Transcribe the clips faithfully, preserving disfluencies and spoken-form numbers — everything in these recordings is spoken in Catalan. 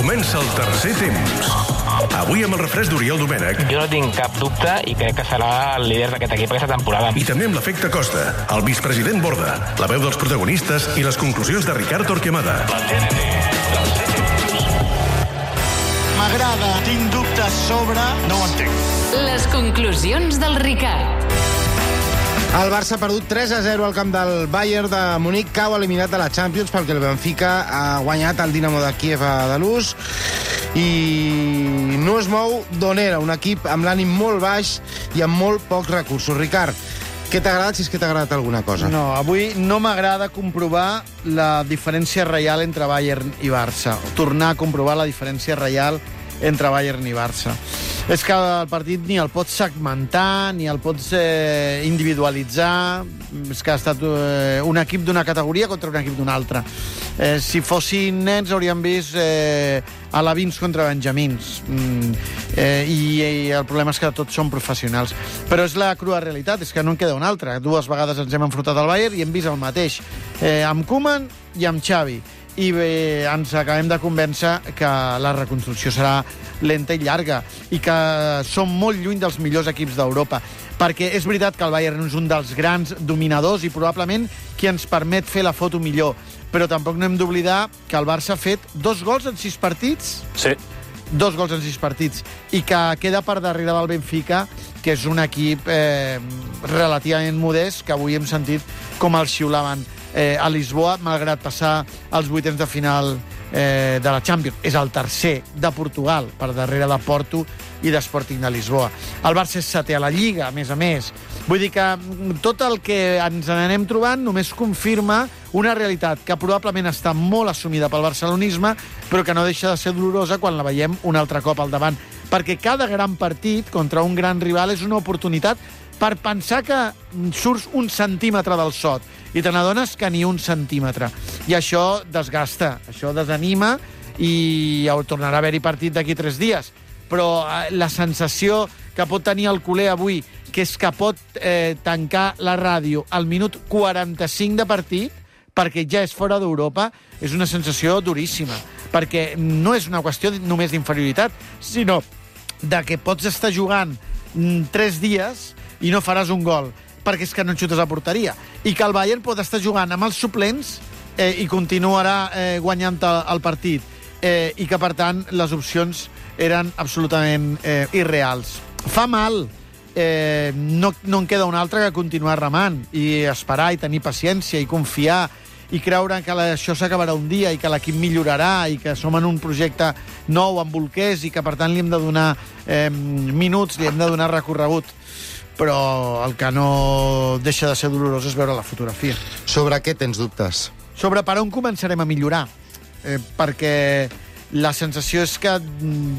Comença el tercer temps. Avui amb el refresc d'Oriol Domènech. Jo no tinc cap dubte i crec que serà el líder d'aquest equip aquesta temporada. I també amb l'efecte Costa, el vicepresident Borda, la veu dels protagonistes i les conclusions de Ricard Torquemada. M'agrada, tinc dubtes sobre... No ho entenc. Les conclusions del Ricard. El Barça ha perdut tres a zero al camp del Bayern de Munic, cau eliminat de la Champions perquè el Benfica ha guanyat el Dinamo de Kíev a Dalús i no es mou d'on era, un equip amb l'ànim molt baix i amb molt pocs recursos. Ricard, què t'ha agradat, si és que t'ha agradat alguna cosa? No, avui no m'agrada comprovar la diferència real entre Bayern i Barça. Tornar a comprovar la diferència real entre Bayern i Barça. És que el partit ni el pots segmentar, ni el pots eh, individualitzar. És que ha estat eh, un equip d'una categoria contra un equip d'una altra. Eh, si fossin nens hauríem vist eh, alevins contra benjamins. Mm, eh, i, I el problema és que tots són professionals. Però és la crua realitat, és que no en queda una altra. Dues vegades ens hem enfrontat al Bayern i hem vist el mateix. Eh, amb Koeman i amb Xavi. I bé, ens acabem de convèncer que la reconstrucció serà lenta i llarga i que som molt lluny dels millors equips d'Europa, perquè és veritat que el Bayern és un dels grans dominadors i probablement qui ens permet fer la foto millor, però tampoc no hem d'oblidar que el Barça ha fet dos gols en sis partits. Sí. Dos gols en sis partits i que queda per darrere del Benfica, que és un equip eh, relativament modest, que avui hem sentit com el xiulaven eh, a Lisboa, malgrat passar als vuitens de final eh, de la Champions. És el tercer de Portugal, per darrere de Porto i d'Sporting de Lisboa. El Barça és setè a la Lliga, a més a més. Vull dir que tot el que ens n'anem trobant només confirma una realitat que probablement està molt assumida pel barcelonisme, però que no deixa de ser dolorosa quan la veiem un altre cop al davant. Perquè cada gran partit contra un gran rival és una oportunitat per pensar que surts un centímetre del sot i te n'adones que ni un centímetre. I això desgasta, això desanima i tornarà a haver-hi partit d'aquí tres dies. Però la sensació que pot tenir el culer avui, que és que pot eh, tancar la ràdio al minut quaranta-cinc de partit, perquè ja és fora d'Europa, és una sensació duríssima. Perquè no és una qüestió només d'inferioritat, sinó de que pots estar jugant tres dies i no faràs un gol, perquè és que no xutes a porteria. I que el Bayern pot estar jugant amb els suplents eh, i continuarà eh, guanyant el partit. Eh, I que, per tant, les opcions eren absolutament eh, irreals. Fa mal. Eh, no, no en queda una altra que continuar remant i esperar i tenir paciència i confiar i creure que la, això s'acabarà un dia i que l'equip millorarà i que som en un projecte nou amb bolquers i que, per tant, li hem de donar eh, minuts, li hem de donar recorregut. Però el que no deixa de ser dolorós és veure la fotografia. Sobre què tens dubtes? Sobre per on començarem a millorar. Eh, perquè la sensació és que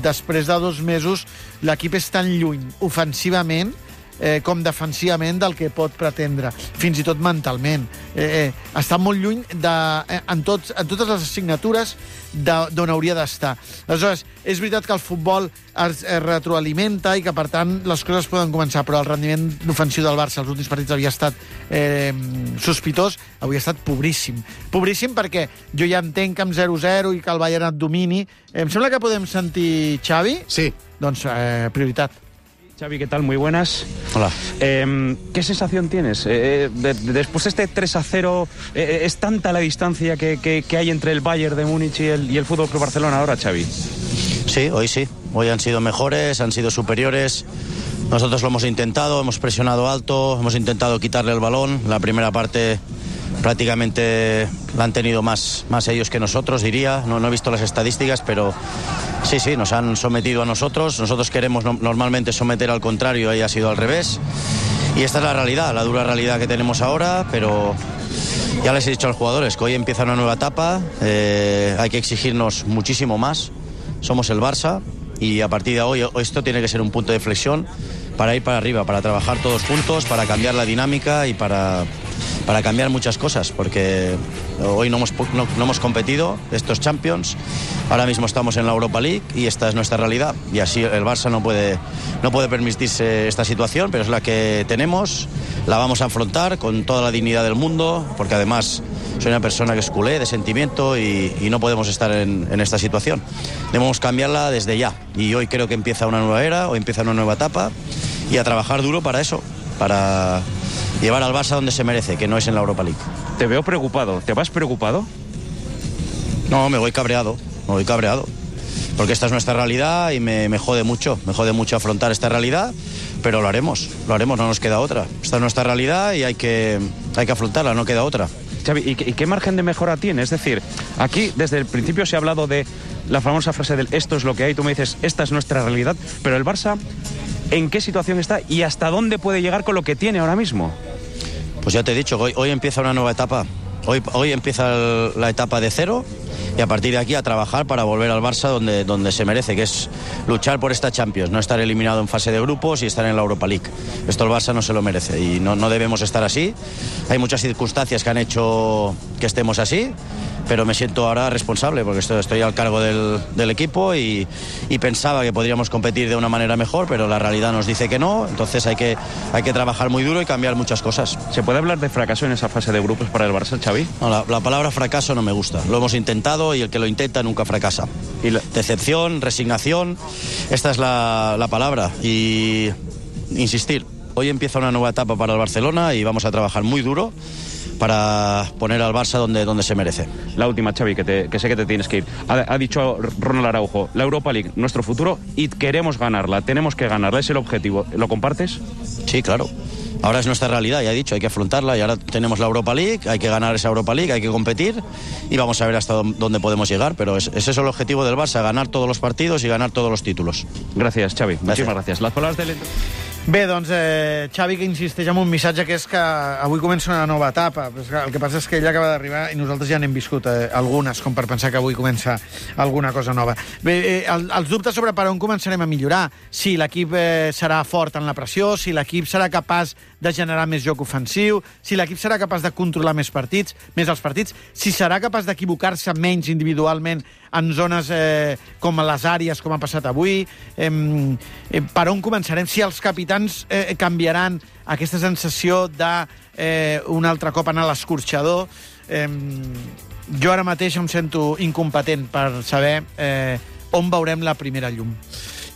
després de dos mesos l'equip és tan lluny ofensivament eh, com defensivament del que pot pretendre, fins i tot mentalment. Eh, eh, està molt lluny de, eh, en, tots, en totes les assignatures d'on hauria d'estar. Aleshores, és veritat que el futbol es, es retroalimenta i que, per tant, les coses poden començar, però el rendiment ofensiu del Barça als últims partits havia estat eh, sospitós, havia estat pobríssim. Pobríssim perquè jo ja entenc que amb zero zero i que el Bayern et domini. Em sembla que podem sentir Xavi? Sí. Doncs eh, prioritat. Xavi, ¿qué tal? Muy buenas. Hola. Eh, ¿Qué sensación tienes? Eh, de, de, después de este tres a cero, eh, ¿es tanta la distancia que, que, que hay entre el Bayern de Múnich y el, y el F C Barcelona ahora, Xavi? Sí, hoy sí. Hoy han sido mejores, han sido superiores. Nosotros lo hemos intentado, hemos presionado alto, hemos intentado quitarle el balón. La primera parte prácticamente la han tenido más, más ellos que nosotros, diría. No, no he visto las estadísticas, pero sí, sí, nos han sometido a nosotros. Nosotros queremos no, normalmente someter al contrario y ha sido al revés. Y esta es la realidad, la dura realidad que tenemos ahora, pero ya les he dicho a los jugadores que hoy empieza una nueva etapa, eh, hay que exigirnos muchísimo más. Somos el Barça y a partir de hoy esto tiene que ser un punto de flexión para ir para arriba, para trabajar todos juntos, para cambiar la dinámica y para, para cambiar muchas cosas, porque hoy no hemos, no, no hemos competido, estos Champions, ahora mismo estamos en la Europa League y esta es nuestra realidad y así el Barça no puede, no puede permitirse esta situación, pero es la que tenemos, la vamos a afrontar con toda la dignidad del mundo, porque además soy una persona que es culé, de sentimiento, y, y no podemos estar en, en esta situación. Debemos cambiarla desde ya, y hoy creo que empieza una nueva era, hoy empieza una nueva etapa, y a trabajar duro para eso, para llevar al Barça donde se merece, que no es en la Europa League. Te veo preocupado. ¿Te vas preocupado? No, me voy cabreado, me voy cabreado. Porque esta es nuestra realidad y me, me jode mucho, me jode mucho afrontar esta realidad, pero lo haremos, lo haremos, no nos queda otra. Esta es nuestra realidad y hay que, hay que afrontarla, no queda otra. Xavi, ¿y qué, ¿y qué margen de mejora tiene? Es decir, aquí desde el principio se ha hablado de la famosa frase del esto es lo que hay, tú me dices, esta es nuestra realidad, pero el Barça, ¿en qué situación está y hasta dónde puede llegar con lo que tiene ahora mismo? Pues ya te he dicho, hoy, hoy empieza una nueva etapa, hoy, hoy empieza el, la etapa de cero, y a partir de aquí a trabajar para volver al Barça donde, donde se merece, que es luchar por esta Champions, no estar eliminado en fase de grupos y estar en la Europa League. Esto el Barça no se lo merece y no, no debemos estar así. Hay muchas circunstancias que han hecho que estemos así, pero me siento ahora responsable porque estoy, estoy al cargo del, del equipo y, y pensaba que podríamos competir de una manera mejor, pero la realidad nos dice que no, entonces hay que, hay que trabajar muy duro y cambiar muchas cosas. ¿Se puede hablar de fracaso en esa fase de grupos para el Barça, Xavi? No, la, la palabra fracaso no me gusta, lo hemos intentado y el que lo intenta nunca fracasa. ¿Y la... Decepción, resignación, esta es la, la palabra y insistir. Hoy empieza una nueva etapa para el Barcelona y vamos a trabajar muy duro para poner al Barça donde, donde se merece. La última, Xavi, que, te, que sé que te tienes que ir. Ha, ha dicho Ronald Araujo, la Europa League, nuestro futuro, y queremos ganarla, tenemos que ganarla, es el objetivo. ¿Lo compartes? Sí, claro. Ahora es nuestra realidad, ya he dicho, hay que afrontarla y ahora tenemos la Europa League, hay que ganar esa Europa League, hay que competir y vamos a ver hasta dónde podemos llegar, pero es, ese es el objetivo del Barça, ganar todos los partidos y ganar todos los títulos. Gracias, Xavi. Gràcies. Muchísimas gracias. Las palabras del... Bé, doncs eh, Xavi que insisteix en un missatge que és que avui comença una nova etapa. El que passa és que ell acaba d'arribar i nosaltres ja n'hem viscut eh, algunes, com per pensar que avui comença alguna cosa nova. Bé, eh, el, els dubtes sobre per on començarem a millorar, si l'equip eh, serà fort en la pressió, si l'equip serà capaç de generar més joc ofensiu, si l'equip serà capaç de controlar més partits, més els partits, si serà capaç d'equivocar-se menys individualment en zones eh, com les àrees, com ha passat avui, eh, eh, per on començarem, si els capitans eh, canviaran aquesta sensació de eh, un altre cop anar a l'escorxador. Eh, jo ara mateix em sento incompetent per saber eh, on veurem la primera llum.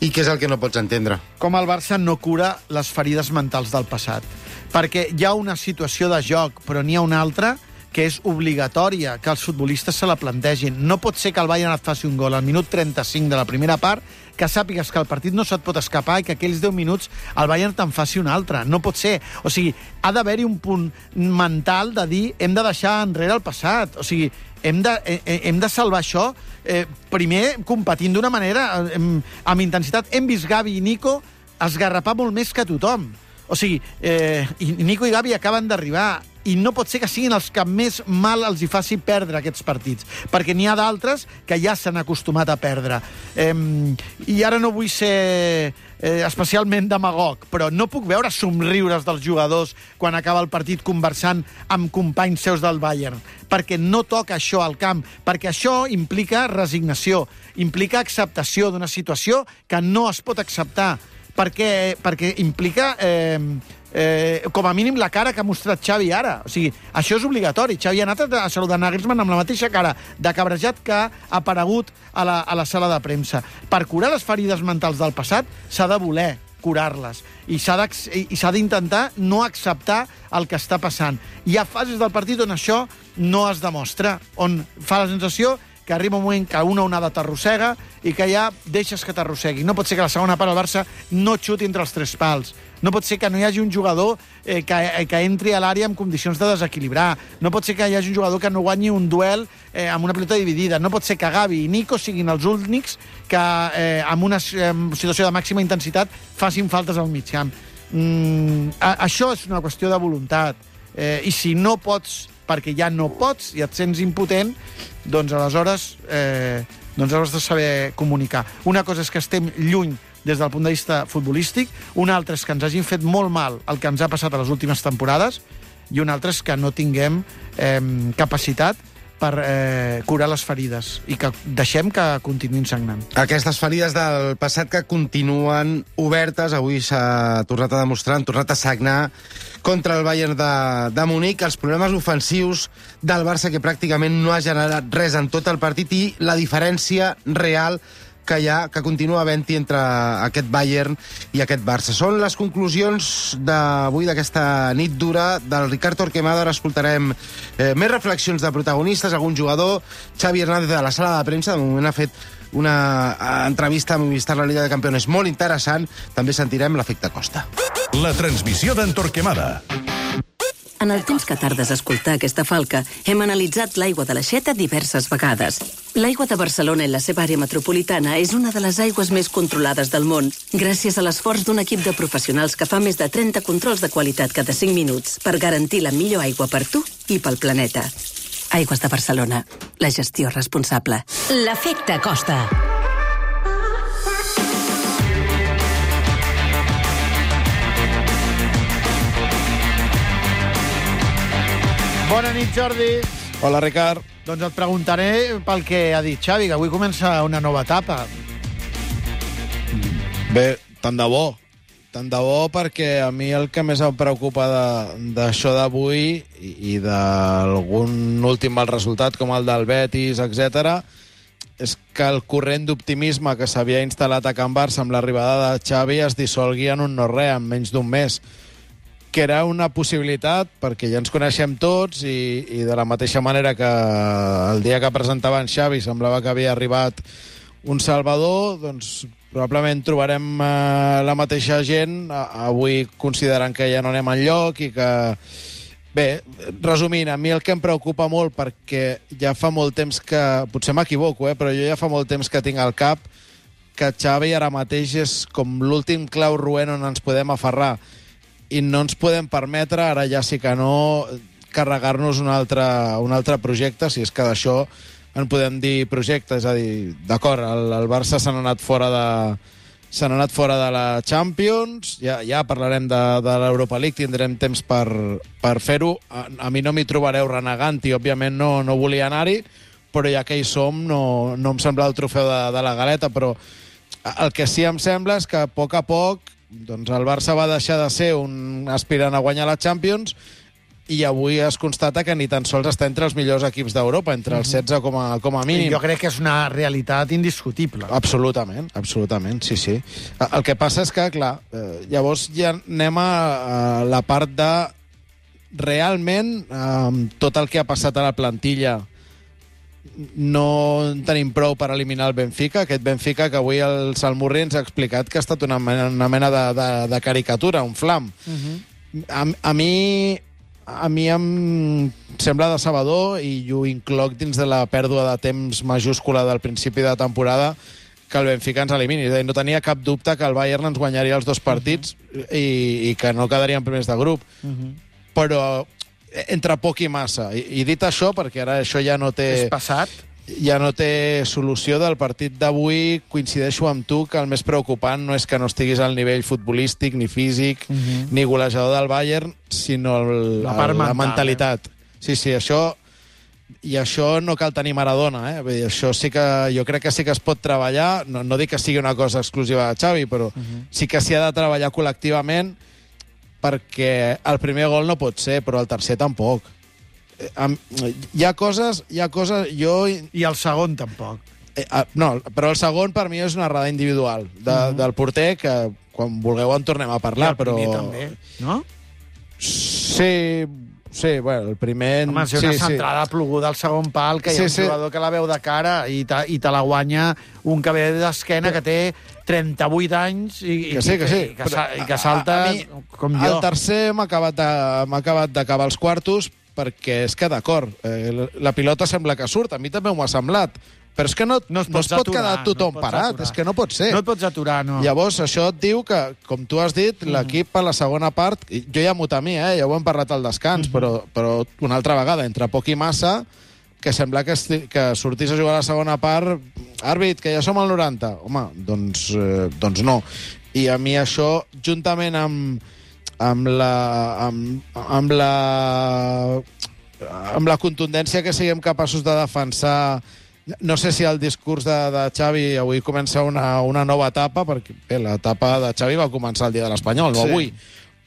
I què és el que no pots entendre? Com el Barça no cura les ferides mentals del passat. Perquè hi ha una situació de joc, però n'hi ha una altra que és obligatòria, que els futbolistes se la plantegin. No pot ser que el Bayern et faci un gol al minut trenta-cinc de la primera part, que sàpigues que el partit no se't pot escapar i que aquells deu minuts el Bayern te'n faci un altre. No pot ser. O sigui, ha d'haver-hi un punt mental de dir hem de deixar enrere el passat. O sigui, hem de, hem de salvar això eh, primer competint d'una manera eh, amb intensitat. Hem vist Gavi i Nico esgarrapar molt més que tothom. O sigui, eh, i Nico i Gavi acaben d'arribar i no pot ser que siguin els que més mal els hi faci perdre aquests partits, perquè n'hi ha d'altres que ja s'han acostumat a perdre. Eh, I ara no vull ser eh, especialment demagog, però no puc veure somriures dels jugadors quan acaba el partit conversant amb companys seus del Bayern, perquè no toca això al camp, perquè això implica resignació, implica acceptació d'una situació que no es pot acceptar, perquè, perquè implica... Eh, Eh, com a mínim la cara que ha mostrat Xavi ara. O sigui, això és obligatori. Xavi ha anat a saludar Nagelsmann amb la mateixa cara de cabrejat que ha aparegut a la, a la sala de premsa. Per curar les ferides mentals del passat s'ha de voler curar-les i s'ha d'intentar no acceptar el que està passant. Hi ha fases del partit on això no es demostra, on fa la sensació que arriba un moment que una onada t'arrossega i que ja deixes que t'arrossegui. No pot ser que la segona part el Barça no xuti entre els tres pals. No pot ser que no hi hagi un jugador eh, que, que entri a l'àrea en condicions de desequilibrar. No pot ser que hi hagi un jugador que no guanyi un duel eh, amb una pilota dividida. No pot ser que Gavi i Nico siguin els únics que eh, en una eh, situació de màxima intensitat facin faltes al mig camp. Mm, a, això és una qüestió de voluntat. Eh, I si no pots, perquè ja no pots i et sents impotent, doncs aleshores eh, doncs has de saber comunicar. Una cosa és que estem lluny des del punt de vista futbolístic, una altra és que ens hagin fet molt mal el que ens ha passat a les últimes temporades i una altra és que no tinguem eh, capacitat per eh, curar les ferides i que deixem que continuïn sagnant. Aquestes ferides del passat que continuen obertes, avui s'ha tornat a demostrar, han tornat a sagnar contra el Bayern de, de Munic, els problemes ofensius del Barça, que pràcticament no ha generat res en tot el partit, i la diferència real que hi ha, que continua havent-hi entre aquest Bayern i aquest Barça. Són les conclusions d'avui, d'aquesta nit dura, del Ricard Torquemada. Ara escoltarem eh, més reflexions de protagonistes, algun jugador. Xavi Hernández de la sala de premsa, de moment ha fet una entrevista a Movistar, la Liga de Campeones, molt interessant. També sentirem l'efecte Costa. La transmissió d'en Torquemada. En el temps que tardes a escoltar aquesta falca, hem analitzat l'aigua de l'Aixeta diverses vegades. L'aigua de Barcelona i la seva àrea metropolitana és una de les aigües més controlades del món, gràcies a l'esforç d'un equip de professionals que fa més de trenta controls de qualitat cada cinc minuts per garantir la millor aigua per tu i pel planeta. Aigües de Barcelona. La gestió responsable. L'efecte Costa. Bona nit, Jordi. Hola, Ricard. Doncs et preguntaré pel que ha dit Xavi, que avui comença una nova etapa. Bé, tant de bo. Tant de bo, perquè a mi el que més em preocupa d'això d'avui i, i d'algun últim mal resultat, com el del Betis, etcètera, és que el corrent d'optimisme que s'havia instal·lat a Can Barça amb l'arribada de Xavi es dissolgui en un no-res, en menys d'un mes, que era una possibilitat, perquè ja ens coneixem tots i, i de la mateixa manera que el dia que presentaven Xavi semblava que havia arribat un salvador, doncs probablement trobarem eh, la mateixa gent avui considerant que ja no anem enlloc i que... Bé, resumint, a mi el que em preocupa molt, perquè ja fa molt temps que... Potser m'equivoco, eh, però jo ja fa molt temps que tinc al cap que Xavi ara mateix és com l'últim clau roent on ens podem aferrar. I no ens podem permetre, ara ja sí que no, carregar-nos un altre, un altre projecte, si és que d'això en podem dir projecte. És a dir, d'acord, el, el Barça se n'ha anat fora de se n'ha anat fora de la Champions, ja, ja parlarem de, de l'Europa League, tindrem temps per, per fer-ho. A, a mi no m'hi trobareu renegant-hi, òbviament no, no volia anar-hi, però ja que hi som no, no em sembla el trofeu de, de la galeta, però el que sí em sembla és que a poc a poc doncs el Barça va deixar de ser un aspirant a guanyar la Champions i avui es constata que ni tan sols està entre els millors equips d'Europa, entre els setze com a, com a mínim. Jo crec que és una realitat indiscutible. Absolutament, absolutament, sí, sí. El que passa és que, clar, eh, llavors ja anem a, a la part de realment eh, tot el que ha passat a la plantilla no en tenim prou per eliminar el Benfica, aquest Benfica que avui el Salmurri ens ha explicat que ha estat una mena, una mena de, de, de caricatura, un flam. Uh-huh. a, a mi a mi em sembla decebedor, i ho incloc dins de la pèrdua de temps majúscula del principi de temporada, que el Benfica ens elimini. No tenia cap dubte que el Bayern ens guanyaria els dos partits uh-huh. i, i que no quedaríem primers de grup. Uh-huh. Però entre poc i massa. I, i dit això, perquè ara això ja no té... És passat. Ja no té solució. Del partit d'avui coincideixo amb tu que el més preocupant no és que no estiguis al nivell futbolístic, ni físic, uh-huh. ni golejador del Bayern, sinó el, la, part el, mental, la mentalitat. Eh? Sí, sí, això... I això no cal tenir Maradona, eh? Vull dir, això sí que... Jo crec que sí que es pot treballar. No, no dic que sigui una cosa exclusiva de Xavi, però uh-huh. sí que s'hi ha de treballar col·lectivament, perquè el primer gol no pot ser, però el tercer tampoc. Hi ha coses... Hi ha coses jo... I el segon tampoc. Eh, no, però el segon per mi és una errada individual de, uh-huh. del porter, que quan vulgueu en tornem a parlar. I el primer però... també, no? Sí... Sí, bueno, el primer... Home, si una sí, centrada sí. ploguda al segon pal, que hi ha sí, un jugador sí. que la veu de cara i te, i te la guanya un que ve d'esquena, que té trenta-vuit anys i que, sí, que, sí. i, que, i que salta a, a mi, com jo. El tercer m'ha acabat d'acabar els quartos, perquè és que, d'acord, eh, la pilota sembla que surt, a mi també m'ho ha semblat, però és que no, no es, no es pot aturar, quedar tothom no parat, aturar. És que no pot ser. No et pots aturar, no. Llavors, això et diu que, com tu has dit, mm. l'equip a la segona part, jo ja m'ho temia, eh, ja ho hem parlat al descans, mm. però, però una altra vegada, entre poc i massa, que sembla que, esti, que sortís a jugar a la segona part, àrbit, que ja som al noranta. Home, doncs, eh, doncs no. I a mi això, juntament amb, amb la... amb, amb la amb la contundència que siguem capaços de defensar. No sé si el discurs de, de Xavi avui comença una, una nova etapa, perquè bé, l'etapa de Xavi va començar el dia de l'Espanyol, no Sí. avui.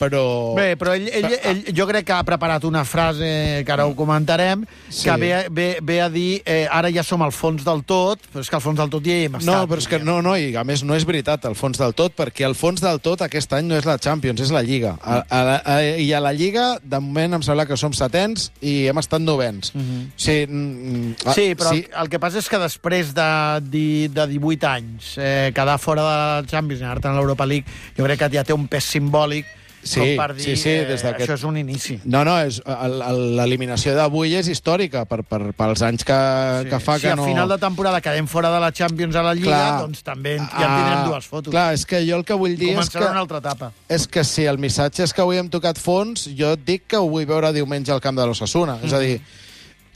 Però... Bé, però ell, ell, ell, jo crec que ha preparat una frase, que ara ho comentarem, Sí. que ve, ve, ve a dir eh, ara ja som al fons del tot, però és que al fons del tot ja hi hem estat. No, però és que no, no, i a més no és veritat el fons del tot, perquè el fons del tot aquest any no és la Champions, és la Lliga. A, a, a, I a la Lliga, de moment, em sembla que som setens i hem estat novens. Uh -huh. Sí, mm, ah, Sí, però sí. el, el que passa és que després de, de, de divuit anys eh, quedar fora de la Champions i anar-te a l'Europa League, jo crec que ja té un pes simbòlic. Sí, com per dir, sí, sí, des eh, d'aquest- això és un inici. No, no, és, el- el- l'eliminació d'avui és històrica per, per, pels anys que, que fa si que a no... final de temporada quedem fora de la Champions a la Lliga, Clar. doncs també ja en tindrem dues fotos. Clar, és que jo el que vull dir és Començarà que, una altra etapa. és que si el missatge és que avui hem tocat fons, jo et dic que ho vull veure diumenge al camp de l'Ossassuna. Mm. És a dir,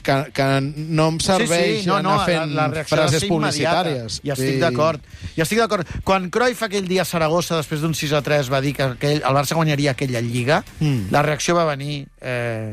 que, que no em serveix sí, sí, no, no, anar fent la, la reacció ha de frases ser immediata. publicitàries. I estic I- d'acord. I estic d'acord. Quan Cruyff aquell dia a Saragossa, després d'un sis a tres, va dir que aquell, el Barça guanyaria aquella Lliga, Mm. la reacció va venir eh,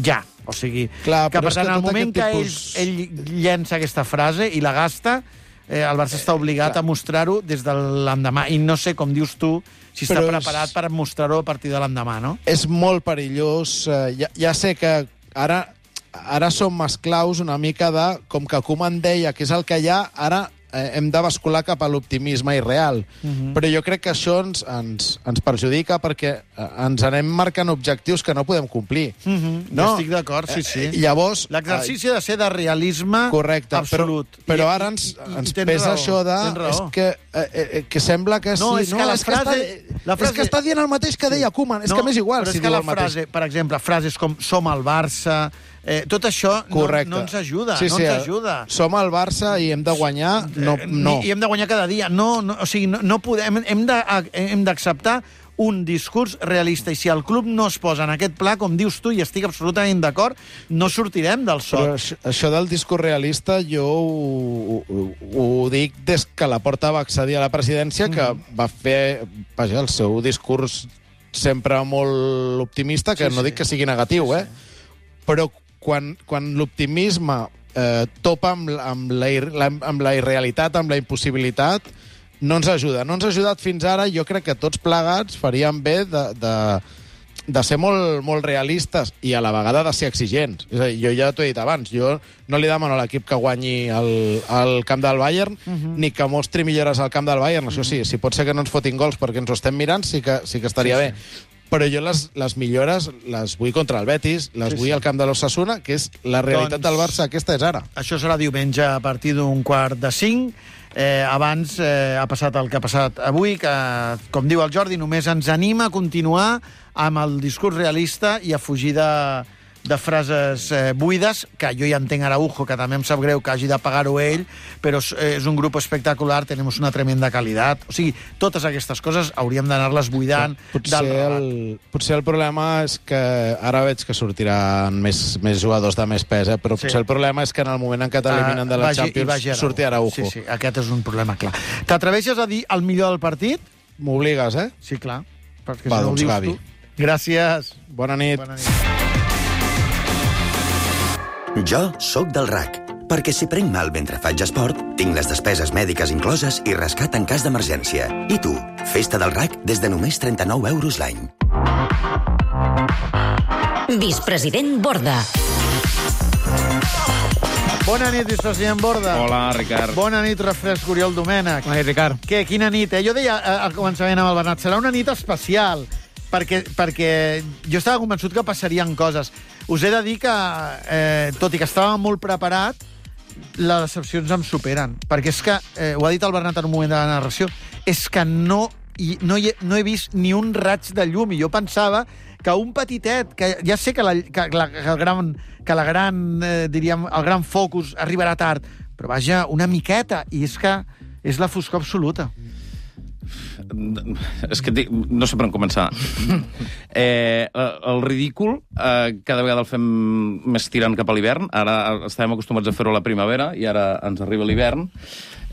ja. O sigui, Clar, que però per és tant, que al tot moment que aquest ell, tipus- ell llença aquesta frase i la gasta, eh, el Barça està obligat clar. a mostrar-ho des de l'endemà. I no sé, com dius tu, si està Però és- preparat per mostrar-ho a partir de l'endemà, no? És molt perillós. Eh, ja, ja sé que ara, ara som esclaus una mica de, com que Koeman deia que és el que hi ha, ara eh, hem de bascular cap a l'optimisme irreal. Uh -huh. Però jo crec que això ens, ens, ens perjudica perquè eh, ens anem marcant objectius que no podem complir. Uh -huh. No? Estic d'acord, sí, sí. Eh, llavors... L'exercici ha de ser de realisme Correcte, absolut. però, però I- ara ens, i- i- ens i tens pesa raó, això de... tens raó. És que, eh, eh, que sembla que No, sí... és que la és frase- Que està, la frase- És que està dient el mateix que deia Koeman. És que m'és igual però si és que diu la el mateix. frase, per exemple, frases com som el Barça, eh, tot això no, Correcte. no ens ajuda, sí, no sí, ens ajuda. Som el Barça i hem de guanyar... No, Eh, no. I hem de guanyar cada dia. No, no, o sigui, no, no podem, hem de- hem d'acceptar un discurs realista. I si el club no es posa en aquest pla, com dius tu, i estic absolutament d'acord, no sortirem del Però sot. això, això del discurs realista jo ho, ho, ho dic des que la Porta va accedir a la presidència, que Mm. va fer vaja, el seu discurs sempre molt optimista, que Sí, no sí. dic que sigui negatiu, eh? Però quan, quan l'optimisme eh, topa amb, la- amb, la, ir- la, amb la irrealitat, amb la impossibilitat, no ens ajuda. No ens ha ajudat fins ara. Jo crec que tots plegats faríem bé de, de, de ser molt, molt realistes i a la vegada de ser exigents. És a dir, jo ja t'ho he dit abans, jo no li demano a l'equip que guanyi el, el camp del Bayern, uh -huh. ni que mostri millores al camp del Bayern. Això sí, si pot ser que no ens fotin gols perquè ens ho estem mirant, sí que, sí que estaria Sí, bé. Però jo les, les millores les vull contra el Betis, les Sí, vull sí. al camp de l'Ossassuna, que és la realitat Doncs- del Barça, aquesta és ara. Això serà diumenge a partir d'un quart de cinc. Eh, abans eh, ha passat el que ha passat avui, que, com diu el Jordi, només ens anima a continuar amb el discurs realista i a fugir de, de frases eh, buides, que jo ja entenc Araujo, que també em sap greu que hagi de pagar-ho ell, però és, és un grup espectacular, tenim una tremenda qualitat. O sigui, totes aquestes coses hauríem d'anar-les buidant. Potser el, potser el problema és que ara veig que sortiran més, més jugadors de més pes, eh? Però Sí. potser el problema és que en el moment en què t'eliminen de la Vagi- i Champions vagi Araujo. surti Araujo. Sí, sí, aquest és un problema clar. T'atreveixes a dir el millor del partit? M'obligues, eh? Sí, clar. Perquè Va, si no ho doncs, dius Gavi. tu. Gràcies. Bona nit. Bona nit. Jo sóc del R A C, perquè si prenc mal mentre faig esport, tinc les despeses mèdiques incloses i rescat en cas d'emergència. I tu, festa del R A C des de només trenta-nou euros l'any. Vicepresident Borda. Bona nit, vicepresident Borda. Hola, Ricard. Bona nit, refresc Oriol Domènech. Bona nit, Ricard. Què, quina nit, eh? Jo deia eh, al començament amb el Bernat, serà una nit especial, perquè, perquè jo estava convençut que passarien coses. Us he de dir que, eh, tot i que estava molt preparat, les decepcions em superen. Perquè és que, eh, ho ha dit el Bernat en un moment de la narració, és que no, i, no, hi he, no he vist ni un raig de llum, i jo pensava que un petitet, que ja sé que, la, que, la, que el gran, que la gran eh, diríem, el gran focus arribarà tard, però vaja, una miqueta, i és que és la foscor absoluta. és que dic, no sé per on començar. Eh, el ridícul eh, cada vegada el fem més tirant cap a l'hivern. Ara estàvem acostumats a fer-ho a la primavera i ara ens arriba l'hivern.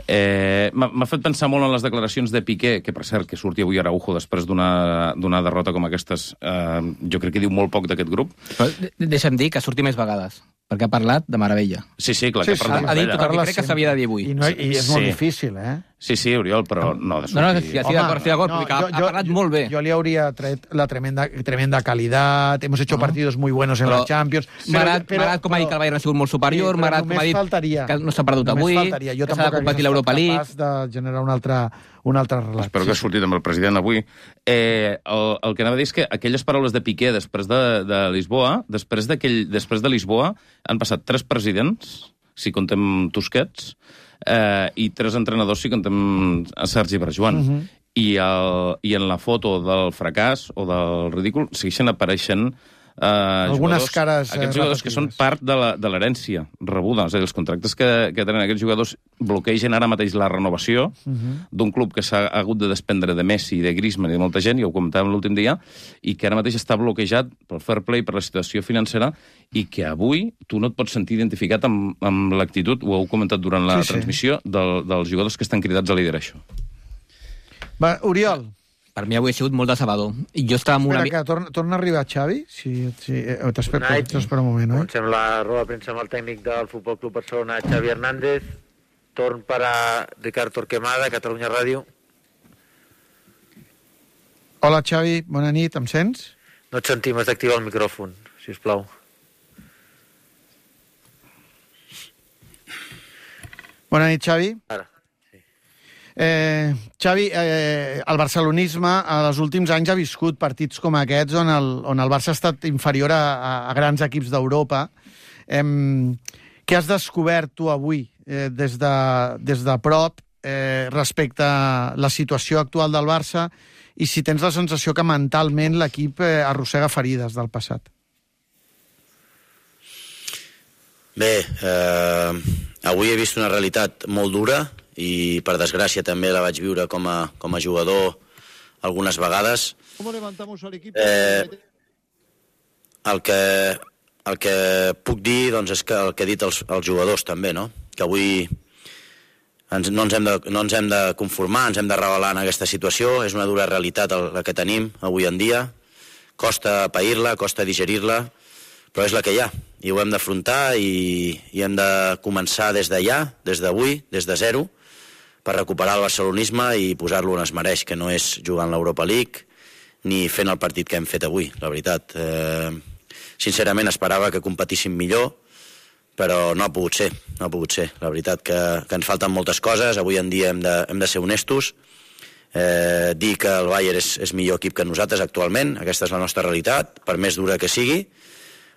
Eh, M'ha fet pensar molt en les declaracions de Piqué, que per cert que surti avui a Araujo després d'una derrota com aquestes. Eh, jo crec que diu molt poc d'aquest grup. Però deixa'm dir que surti més vegades, perquè ha parlat de meravella. Sí, sí, clar, sí, que ha parlat sí, de meravella. Ha dit tot el que crec que s'havia de dir avui. I, no, i és Sí. molt difícil, eh? Sí, sí, Oriol, però no de sortir. No, no, sí, estic d'acord, estic d'acord, perquè ha, ha parlat molt bé. Yo le habría traído la tremenda, tremenda calidad, hemos hecho partidos muy buenos en Però la Champions. M'ha agradat com ha dit que el Bayern ha sigut molt superior, m'ha agradat com ha dit faltaria, que no s'ha perdut avui, faltaria. Jo que s'ha de competir l'Europa League. capaç de generar una altra, una altra relació. Espero que ha sortit amb el president avui. Eh, el, el que anava a dir és que aquelles paraules de Piqué després de, de Lisboa, després, després de Lisboa, han passat tres presidents, si contem Tusquets, eh, i tres entrenadors, si contem a Sergi Barjuan. Uh -huh. I, el, I en la foto del fracàs o del ridícul segueixen apareixent eh, algunes jugadors, cares eh, aquests jugadors que són part de l'herència rebuda. És a dir, els contractes que, que tenen aquests jugadors bloquegen ara mateix la renovació uh -huh. d'un club que s'ha hagut de desprendre de Messi, de Griezmann i de molta gent, ja ho comentàvem l'últim dia, i que ara mateix està bloquejat pel fair play, per la situació financera, i que avui tu no et pots sentir identificat amb, amb l'actitud, ho heu comentat durant la sí, sí. transmissió, del, dels jugadors que estan cridats a liderar això. Va, Oriol. Per mi avui ha sigut molt decebedor. I jo estava amb una... Espera, que torna, torna a arribar Xavi. Sí, sí. Eh, T'espera un moment, Comencem eh? la roda de premsa amb el tècnic del Futbol Club Barcelona, Xavi Hernández. Torn per a Ricard Torquemada, Catalunya Ràdio. Hola, Xavi. Bona nit. Em sents? No et sentim, has d'activar el micròfon, si us plau. Bona nit, Xavi. Ara. Eh, Xavi, eh, el barcelonisme als últims anys ha viscut partits com aquests on el, on el Barça ha estat inferior a, a grans equips d'Europa. Eh, què has descobert tu avui eh, des, de, des de prop eh, respecte a la situació actual del Barça i si tens la sensació que mentalment l'equip eh, arrossega ferides del passat? Bé, eh, avui he vist una realitat molt dura i per desgràcia també la vaig viure com a, com a jugador algunes vegades. Eh, el, que, el que puc dir doncs, és que el que he dit als, als jugadors també, no? Que avui ens, no, ens hem de, no ens hem de conformar, ens hem de revelar en aquesta situació, és una dura realitat el, la que tenim avui en dia, costa pair-la, costa digerir-la, però és la que hi ha, i ho hem d'afrontar i, i hem de començar des d'allà, des d'avui, des de zero, per recuperar el barcelonisme i posar-lo on es mereix, que no és jugant l'Europa League ni fent el partit que hem fet avui, la veritat. Eh, sincerament esperava que competíssim millor, però no ha pogut ser, no ha pogut ser. La veritat que, que ens falten moltes coses, avui en dia hem de, hem de ser honestos, eh, dir que el Bayern és, és millor equip que nosaltres actualment, aquesta és la nostra realitat, per més dura que sigui,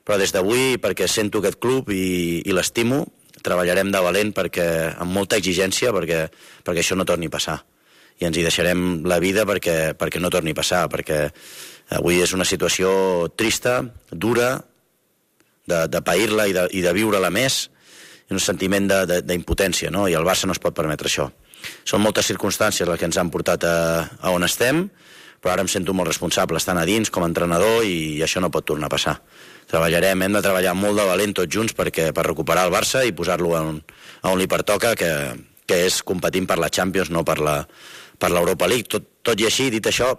però des d'avui, perquè sento aquest club i, i l'estimo, treballarem de valent perquè, amb molta exigència perquè, perquè això no torni a passar. I ens hi deixarem la vida perquè, perquè no torni a passar, perquè avui és una situació trista, dura, de, de pair-la i de, i de viure-la més, i un sentiment d'impotència, no? I el Barça no es pot permetre això. Són moltes circumstàncies les que ens han portat a, a on estem, però ara em sento molt responsable estant a dins com a entrenador i això no pot tornar a passar. Treballarem, hem de treballar molt de valent tots junts perquè, per recuperar el Barça i posar-lo on, on li pertoca, que, que és competint per la Champions, no per la, per l'Europa League. Tot, tot i així, dit això,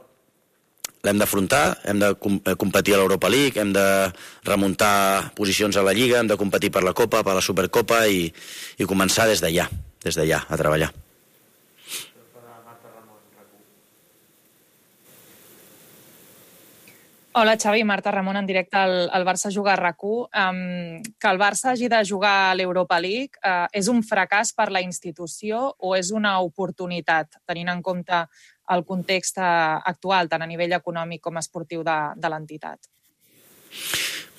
l'hem d'afrontar, hem de com, competir a l'Europa League, hem de remuntar posicions a la Lliga, hem de competir per la Copa, per la Supercopa i, i començar des d'allà, des d'allà, a treballar. Hola, Xavi, Marta Ramon, en directe al, al Barça Juga a RAC u. Um, que el Barça hagi de jugar a l'Europa League uh, és un fracàs per la institució o és una oportunitat, tenint en compte el context actual, tant a nivell econòmic com esportiu de, de l'entitat?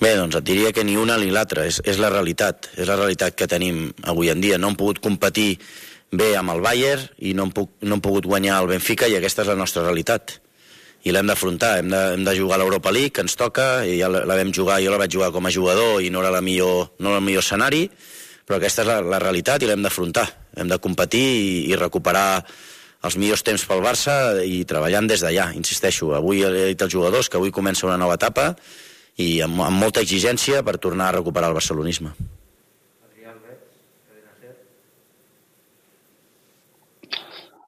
Bé, doncs et diria que ni una ni l'altra, és, és la realitat, és la realitat que tenim avui en dia. No hem pogut competir bé amb el Bayern i no hem, puc, no hem pogut guanyar el Benfica i aquesta és la nostra realitat. I l'hem d'afrontar, hem, de, hem de jugar a l'Europa League, que ens toca, i ja la, la vam jugar, jo la vaig jugar com a jugador i no era la millor, no era el millor escenari, però aquesta és la, la realitat i l'hem d'afrontar. Hem de competir i, i recuperar els millors temps pel Barça i treballant des d'allà, insisteixo. Avui he dit als jugadors que avui comença una nova etapa i amb, amb molta exigència per tornar a recuperar el barcelonisme.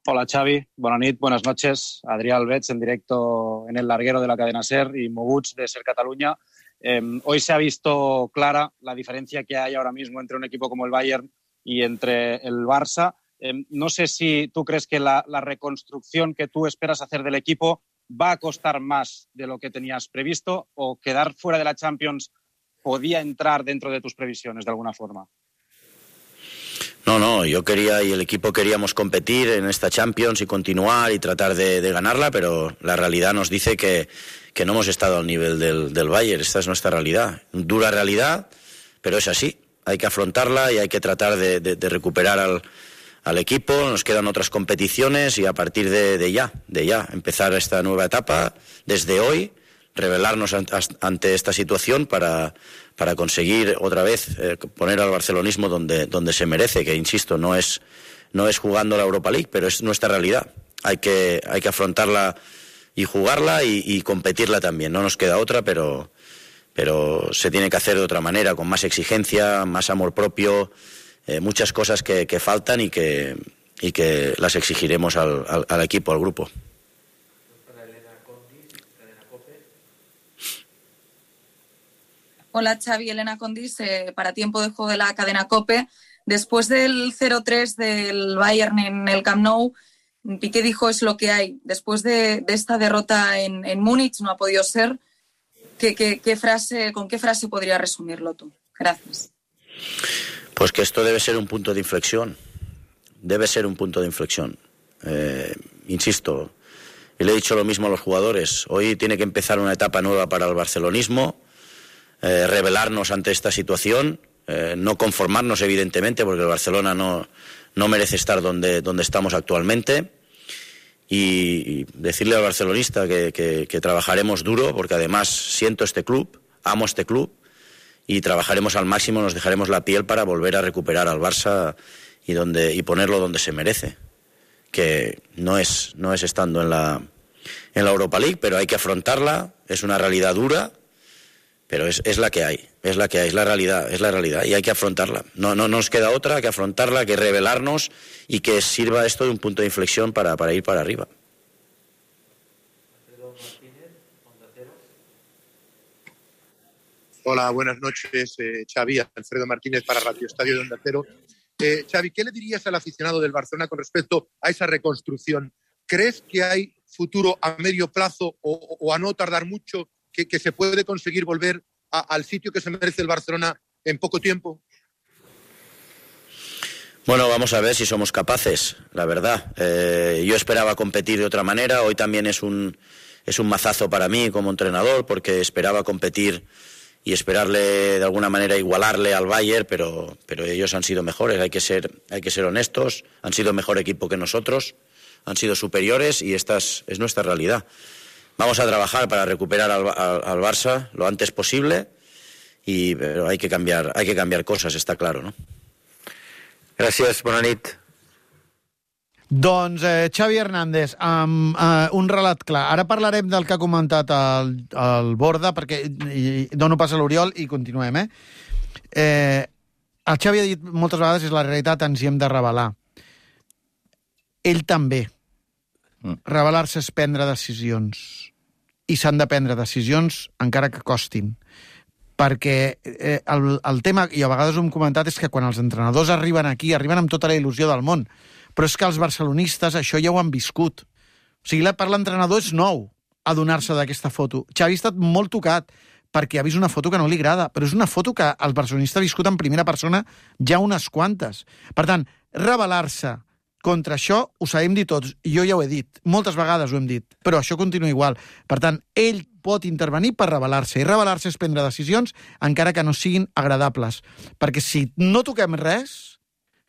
Hola Xavi, buenas nit, buenas noches. Adrián Albets en directo en el larguero de la cadena SER y Moguts de SER Cataluña. Eh, hoy se ha visto clara la diferencia que hay ahora mismo entre un equipo como el Bayern y entre el Barça. Eh, no sé si tú crees que la, la reconstrucción que tú esperas hacer del equipo va a costar más de lo que tenías previsto o quedar fuera de la Champions podía entrar dentro de tus previsiones de alguna forma. No, no, yo quería y el equipo queríamos competir en esta Champions y continuar y tratar de, de ganarla, pero la realidad nos dice que, que no hemos estado al nivel del, del Bayern. Esta es nuestra realidad, dura realidad, pero es así. Hay que afrontarla y hay que tratar de, de, de recuperar al, al equipo. Nos quedan otras competiciones y a partir de, de ya, de ya, empezar esta nueva etapa desde hoy, revelarnos ante esta situación para, para conseguir otra vez eh, poner al barcelonismo donde, donde se merece, que insisto, no es, no es jugando la Europa League, pero es nuestra realidad. Hay que, hay que afrontarla y jugarla y, y competirla también. No nos queda otra, pero, pero se tiene que hacer de otra manera, con más exigencia, más amor propio, eh, muchas cosas que, que faltan y que, y que las exigiremos al, al, al equipo, al grupo. Hola Xavi, Elena Condis, eh, para tiempo de juego de la cadena COPE. Después del cero tres del Bayern en el Camp Nou, Piqué dijo es lo que hay. Después de, de esta derrota en, en Múnich, no ha podido ser. ¿Qué, qué, qué frase, ¿Con qué frase podrías resumirlo tú? Gracias. Pues que esto debe ser un punto de inflexión. Debe ser un punto de inflexión. Eh, insisto, y le he dicho lo mismo a los jugadores. Hoy tiene que empezar una etapa nueva para el barcelonismo. Eh, rebelarnos ante esta situación, eh, no conformarnos evidentemente porque el Barcelona no, no merece estar donde, donde estamos actualmente y, y decirle al barcelonista que, que, que trabajaremos duro porque además siento este club, amo este club y trabajaremos al máximo, nos dejaremos la piel para volver a recuperar al Barça y, donde, y ponerlo donde se merece, que no es, no es estando en la, en la Europa League, pero hay que afrontarla, es una realidad dura. Pero es, es la que hay, es la que hay, es la realidad, es la realidad y hay que afrontarla. No, no, no nos queda otra, hay que afrontarla, hay que rebelarnos y que sirva esto de un punto de inflexión para, para ir para arriba. Hola, buenas noches, eh, Xavi, Alfredo Martínez para Radio Estadio de Onda Cero. Eh, Xavi, ¿qué le dirías al aficionado del Barcelona con respecto a esa reconstrucción? ¿Crees que hay futuro a medio plazo o, o a no tardar mucho? Que, que se puede conseguir volver a, al sitio que se merece el Barcelona en poco tiempo? Bueno, vamos a ver si somos capaces, la verdad. Eh, yo esperaba competir de otra manera. Hoy también es un, es un mazazo para mí como entrenador porque esperaba competir y esperarle de alguna manera igualarle al Bayern, pero, pero ellos han sido mejores. Hay que ser, hay que ser honestos. Han sido mejor equipo que nosotros. Han sido superiores y esta es, es nuestra realidad. Vamos a trabajar para recuperar al, al, al Barça lo antes posible, y, pero hay que cambiar, hay que cambiar cosas, está claro, no? Gràcies, bona nit. Doncs eh, Xavi Hernández, amb eh, un relat clar. Ara parlarem del que ha comentat el, el Borda, perquè i, dono pas a l'Oriol i continuem, eh? eh? El Xavi ha dit moltes vegades és la realitat, ens hi hem de revelar. Ell també. Revelar-se és prendre decisions i s'han de prendre decisions encara que costin, perquè eh, el, el tema, i a vegades ho hem comentat, és que quan els entrenadors arriben aquí, arriben amb tota la il·lusió del món, però és que els barcelonistes això ja ho han viscut. O sigui, per l'entrenador és nou adonar-se d'aquesta foto. Xavi ha estat molt tocat perquè ha vist una foto que no li agrada, però és una foto que el barcelonista ha viscut en primera persona ja unes quantes. Per tant, revelar-se contra això ho sabem dir tots, i jo ja ho he dit, moltes vegades ho hem dit, però això continua igual. Per tant, ell pot intervenir per revelar-se, i revelar-se és prendre decisions encara que no siguin agradables, perquè si no toquem res,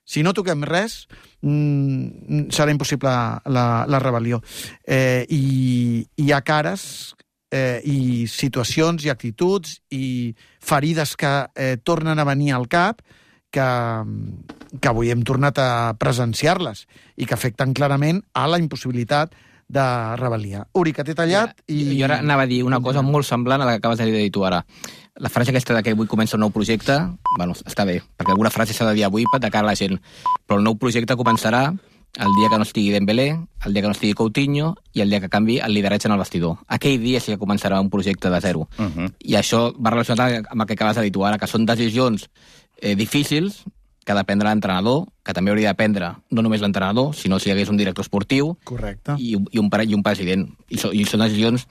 si no toquem res, mmm, serà impossible la, la rebel·lió. Eh, i hi ha cares eh, i situacions i actituds i ferides que eh, tornen a venir al cap que, que avui hem tornat a presenciar-les i que afecten clarament a la impossibilitat de rebel·lia. Uri, que t'he tallat i... Jo ara anava a dir una cosa molt semblant a la que acabes de dir tu ara. La frase aquesta de que avui comença un nou projecte, bueno, està bé, perquè alguna frase s'ha de dir avui de cara a la gent, però el nou projecte començarà el dia que no estigui Dembélé, el dia que no estigui Coutinho i el dia que canvi el lideratge en el vestidor. Aquell dia sí que començarà un projecte de zero. Uh -huh. I això va relacionat amb el que acabes de dir tu ara, que són decisions eh, difícils que ha de prendre l'entrenador, que també hauria de prendre no només l'entrenador, sinó si hi hagués un director esportiu. Correcte. I, i, un, i un president. I, so, i són decisions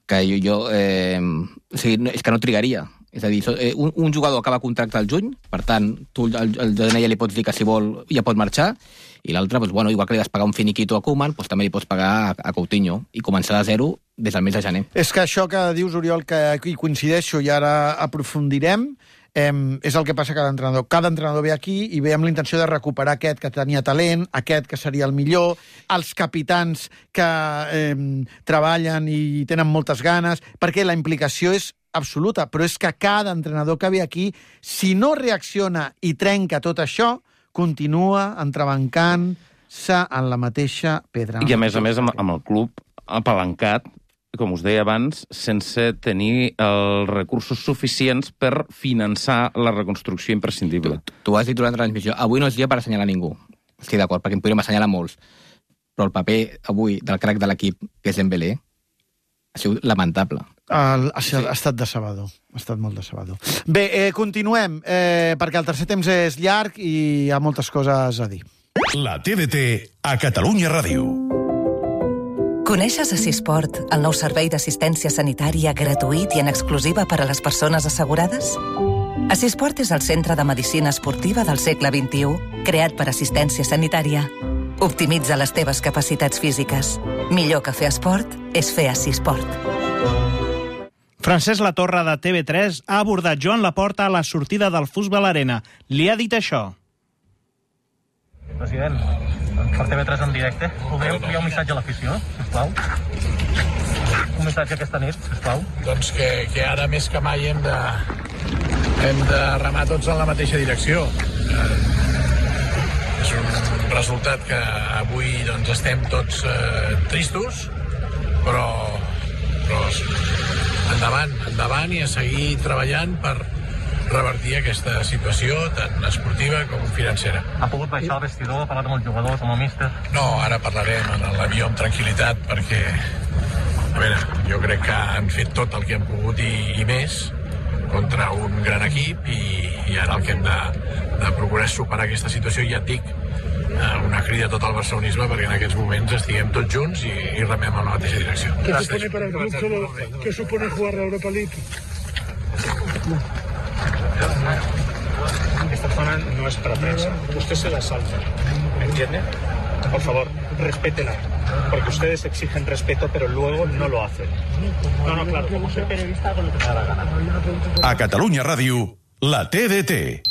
que jo... jo eh, o sigui, no, és que no trigaria. És a dir, so, eh, un, un jugador acaba contracte al juny, per tant, tu al, al D N I ja li pots dir que si vol ja pot marxar, i l'altre, doncs, bueno, igual que li has pagar un finiquito a Koeman, doncs també li pots pagar a, a Coutinho i començar de zero des del mes de gener. És que això que dius, Oriol, que hi coincideixo i ara aprofundirem, Eh, és el que passa a cada entrenador. Cada entrenador ve aquí i ve amb la intenció de recuperar aquest que tenia talent, aquest que seria el millor, els capitans que eh, treballen i tenen moltes ganes, perquè la implicació és absoluta, però és que cada entrenador que ve aquí, si no reacciona i trenca tot això, continua entrebancant-se en la mateixa pedra. I a més a més amb, amb el club apalancat, com us deia abans, sense tenir els recursos suficients per finançar la reconstrucció imprescindible. Tu, tu has dit durant la transmissió, avui no és dia per assenyalar ningú. Estic d'acord, perquè en podríem assenyalar molts. Però el paper avui del crac de l'equip, que és Dembélé, ha sigut lamentable. El, ha, sí. ha estat decebedor. Ha estat molt decebedor. Bé, eh, continuem, eh, perquè el tercer temps és llarg i hi ha moltes coses a dir. La T D T a Catalunya Ràdio. Coneixes Assisport, el nou servei d'assistència sanitària gratuït i en exclusiva per a les persones assegurades? Assisport és el centre de medicina esportiva del segle vint-i-u, creat per assistència sanitària. Optimitza les teves capacitats físiques. Millor que fer esport és fer Assisport. Francesc Latorre de T V tres ha abordat Joan Laporta a la sortida del Futbol Arena. Li ha dit això. President, per T V tres en directe, podeu enviar un missatge a l'afició, sisplau? Un missatge aquesta nit, sisplau? Doncs que, que ara més que mai hem de, hem de remar tots en la mateixa direcció. Eh, és un resultat que avui doncs, estem tots eh, tristos, però, però endavant, endavant i a seguir treballant per revertir aquesta situació tant esportiva com financera. Ha pogut baixar al vestidor, parlar amb els jugadors, amb el míster? No, ara parlarem en l'avió amb tranquil·litat perquè, a veure, jo crec que han fet tot el que han pogut i, i més contra un gran equip i, i ara el que hem de, de procurar és superar aquesta situació. Ja et dic, una crida a tot el barcelonisme perquè en aquests moments estiguem tots junts i, i remem en la mateixa direcció. ¿Qué supone para el club solo, ¿qué supone jugar la Europa League? Esta zona no es para prensa. Usted se la salta. ¿Me entiende? Por favor, respétela. Porque ustedes exigen respeto, pero luego no lo hacen. No, no, claro. Como soy periodista, con lo que me da la gana. A Catalunya Ràdio, la T D T.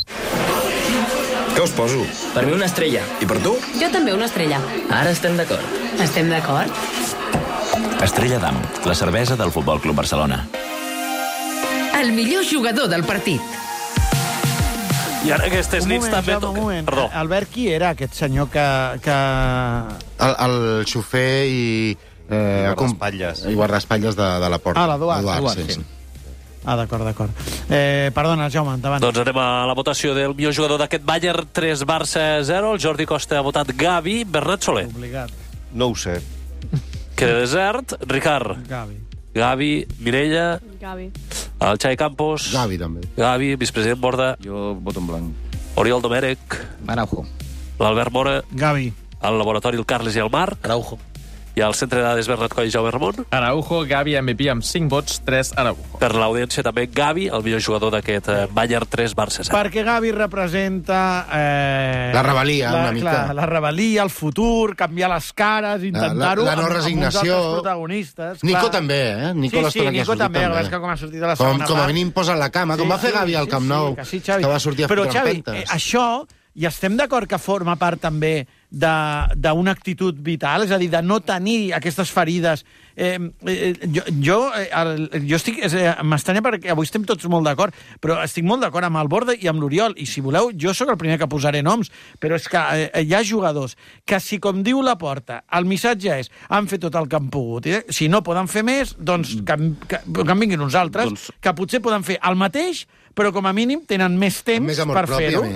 Què us poso? Per mi una estrella. I per tu? Jo també una estrella. Ara estem d'acord. Estem d'acord? Estrella d'Am, la cervesa del Futbol Club Barcelona. El millor jugador del partit. I ara aquestes un nits moment, també... Jaume, un moment. Perdó. Albert, qui era aquest senyor que... que... El, el xofer i... Eh, guardaespatlles. I guardaespatlles de, de la porta. Ah, l'Eduard. Eduard, Eduard, sí. sí. Ah, d'acord, d'acord. Eh, perdona, Jaume, endavant. Doncs anem a la votació del millor jugador d'aquest Bayern, tres Barça zero. El Jordi Costa ha votat Gavi. Bernat Soler. Obligat. No ho sé. Queda desert. Ricard. Gavi. Gavi. Mireia. Gavi. El Xavi Campos. Gavi, també. Gavi, vicepresident Borda. Jo voto en blanc. Oriol Domènech. Araujo. L'Albert Mora. Gavi. Al laboratori el Carles i el Marc. Araujo. I al centre de dades Bernat Coll i Jaume Ramon. Araujo, Gavi, M V P amb cinc vots, tres Araujo. Per l'audiència també Gavi, el millor jugador d'aquest eh, Bayern tres Barça zero. Perquè Gavi representa... Eh, la rebel·lia, la, una mica. Clar, la rebel·lia, el futur, canviar les cares, intentar-ho la, la no amb, resignació. amb uns altres protagonistes. Nico clar. també, eh? Nico sí, sí, Nico també, també. Que com ha sortit a la segona com, com a part. mínim posa la cama, sí, com va fer Gavi al Camp Nou, sí, que, sí, Xavi. que va sortir a Però, fotre Xavi, empentes. Eh, això, i estem d'acord que forma part també d'una actitud vital, és a dir, de no tenir aquestes ferides. Eh, eh, jo, jo, eh, el, jo estic... Eh, m'estranya perquè avui estem tots molt d'acord, però estic molt d'acord amb el Borda i amb l'Oriol, i si voleu, jo sóc el primer que posaré noms, però és que eh, hi ha jugadors que, si com diu la Porta, el missatge és han fet tot el que han pogut, eh? Si no poden fer més, doncs que, que, que en vinguin uns altres, doncs... que potser poden fer el mateix, però com a mínim tenen més temps per fer-ho.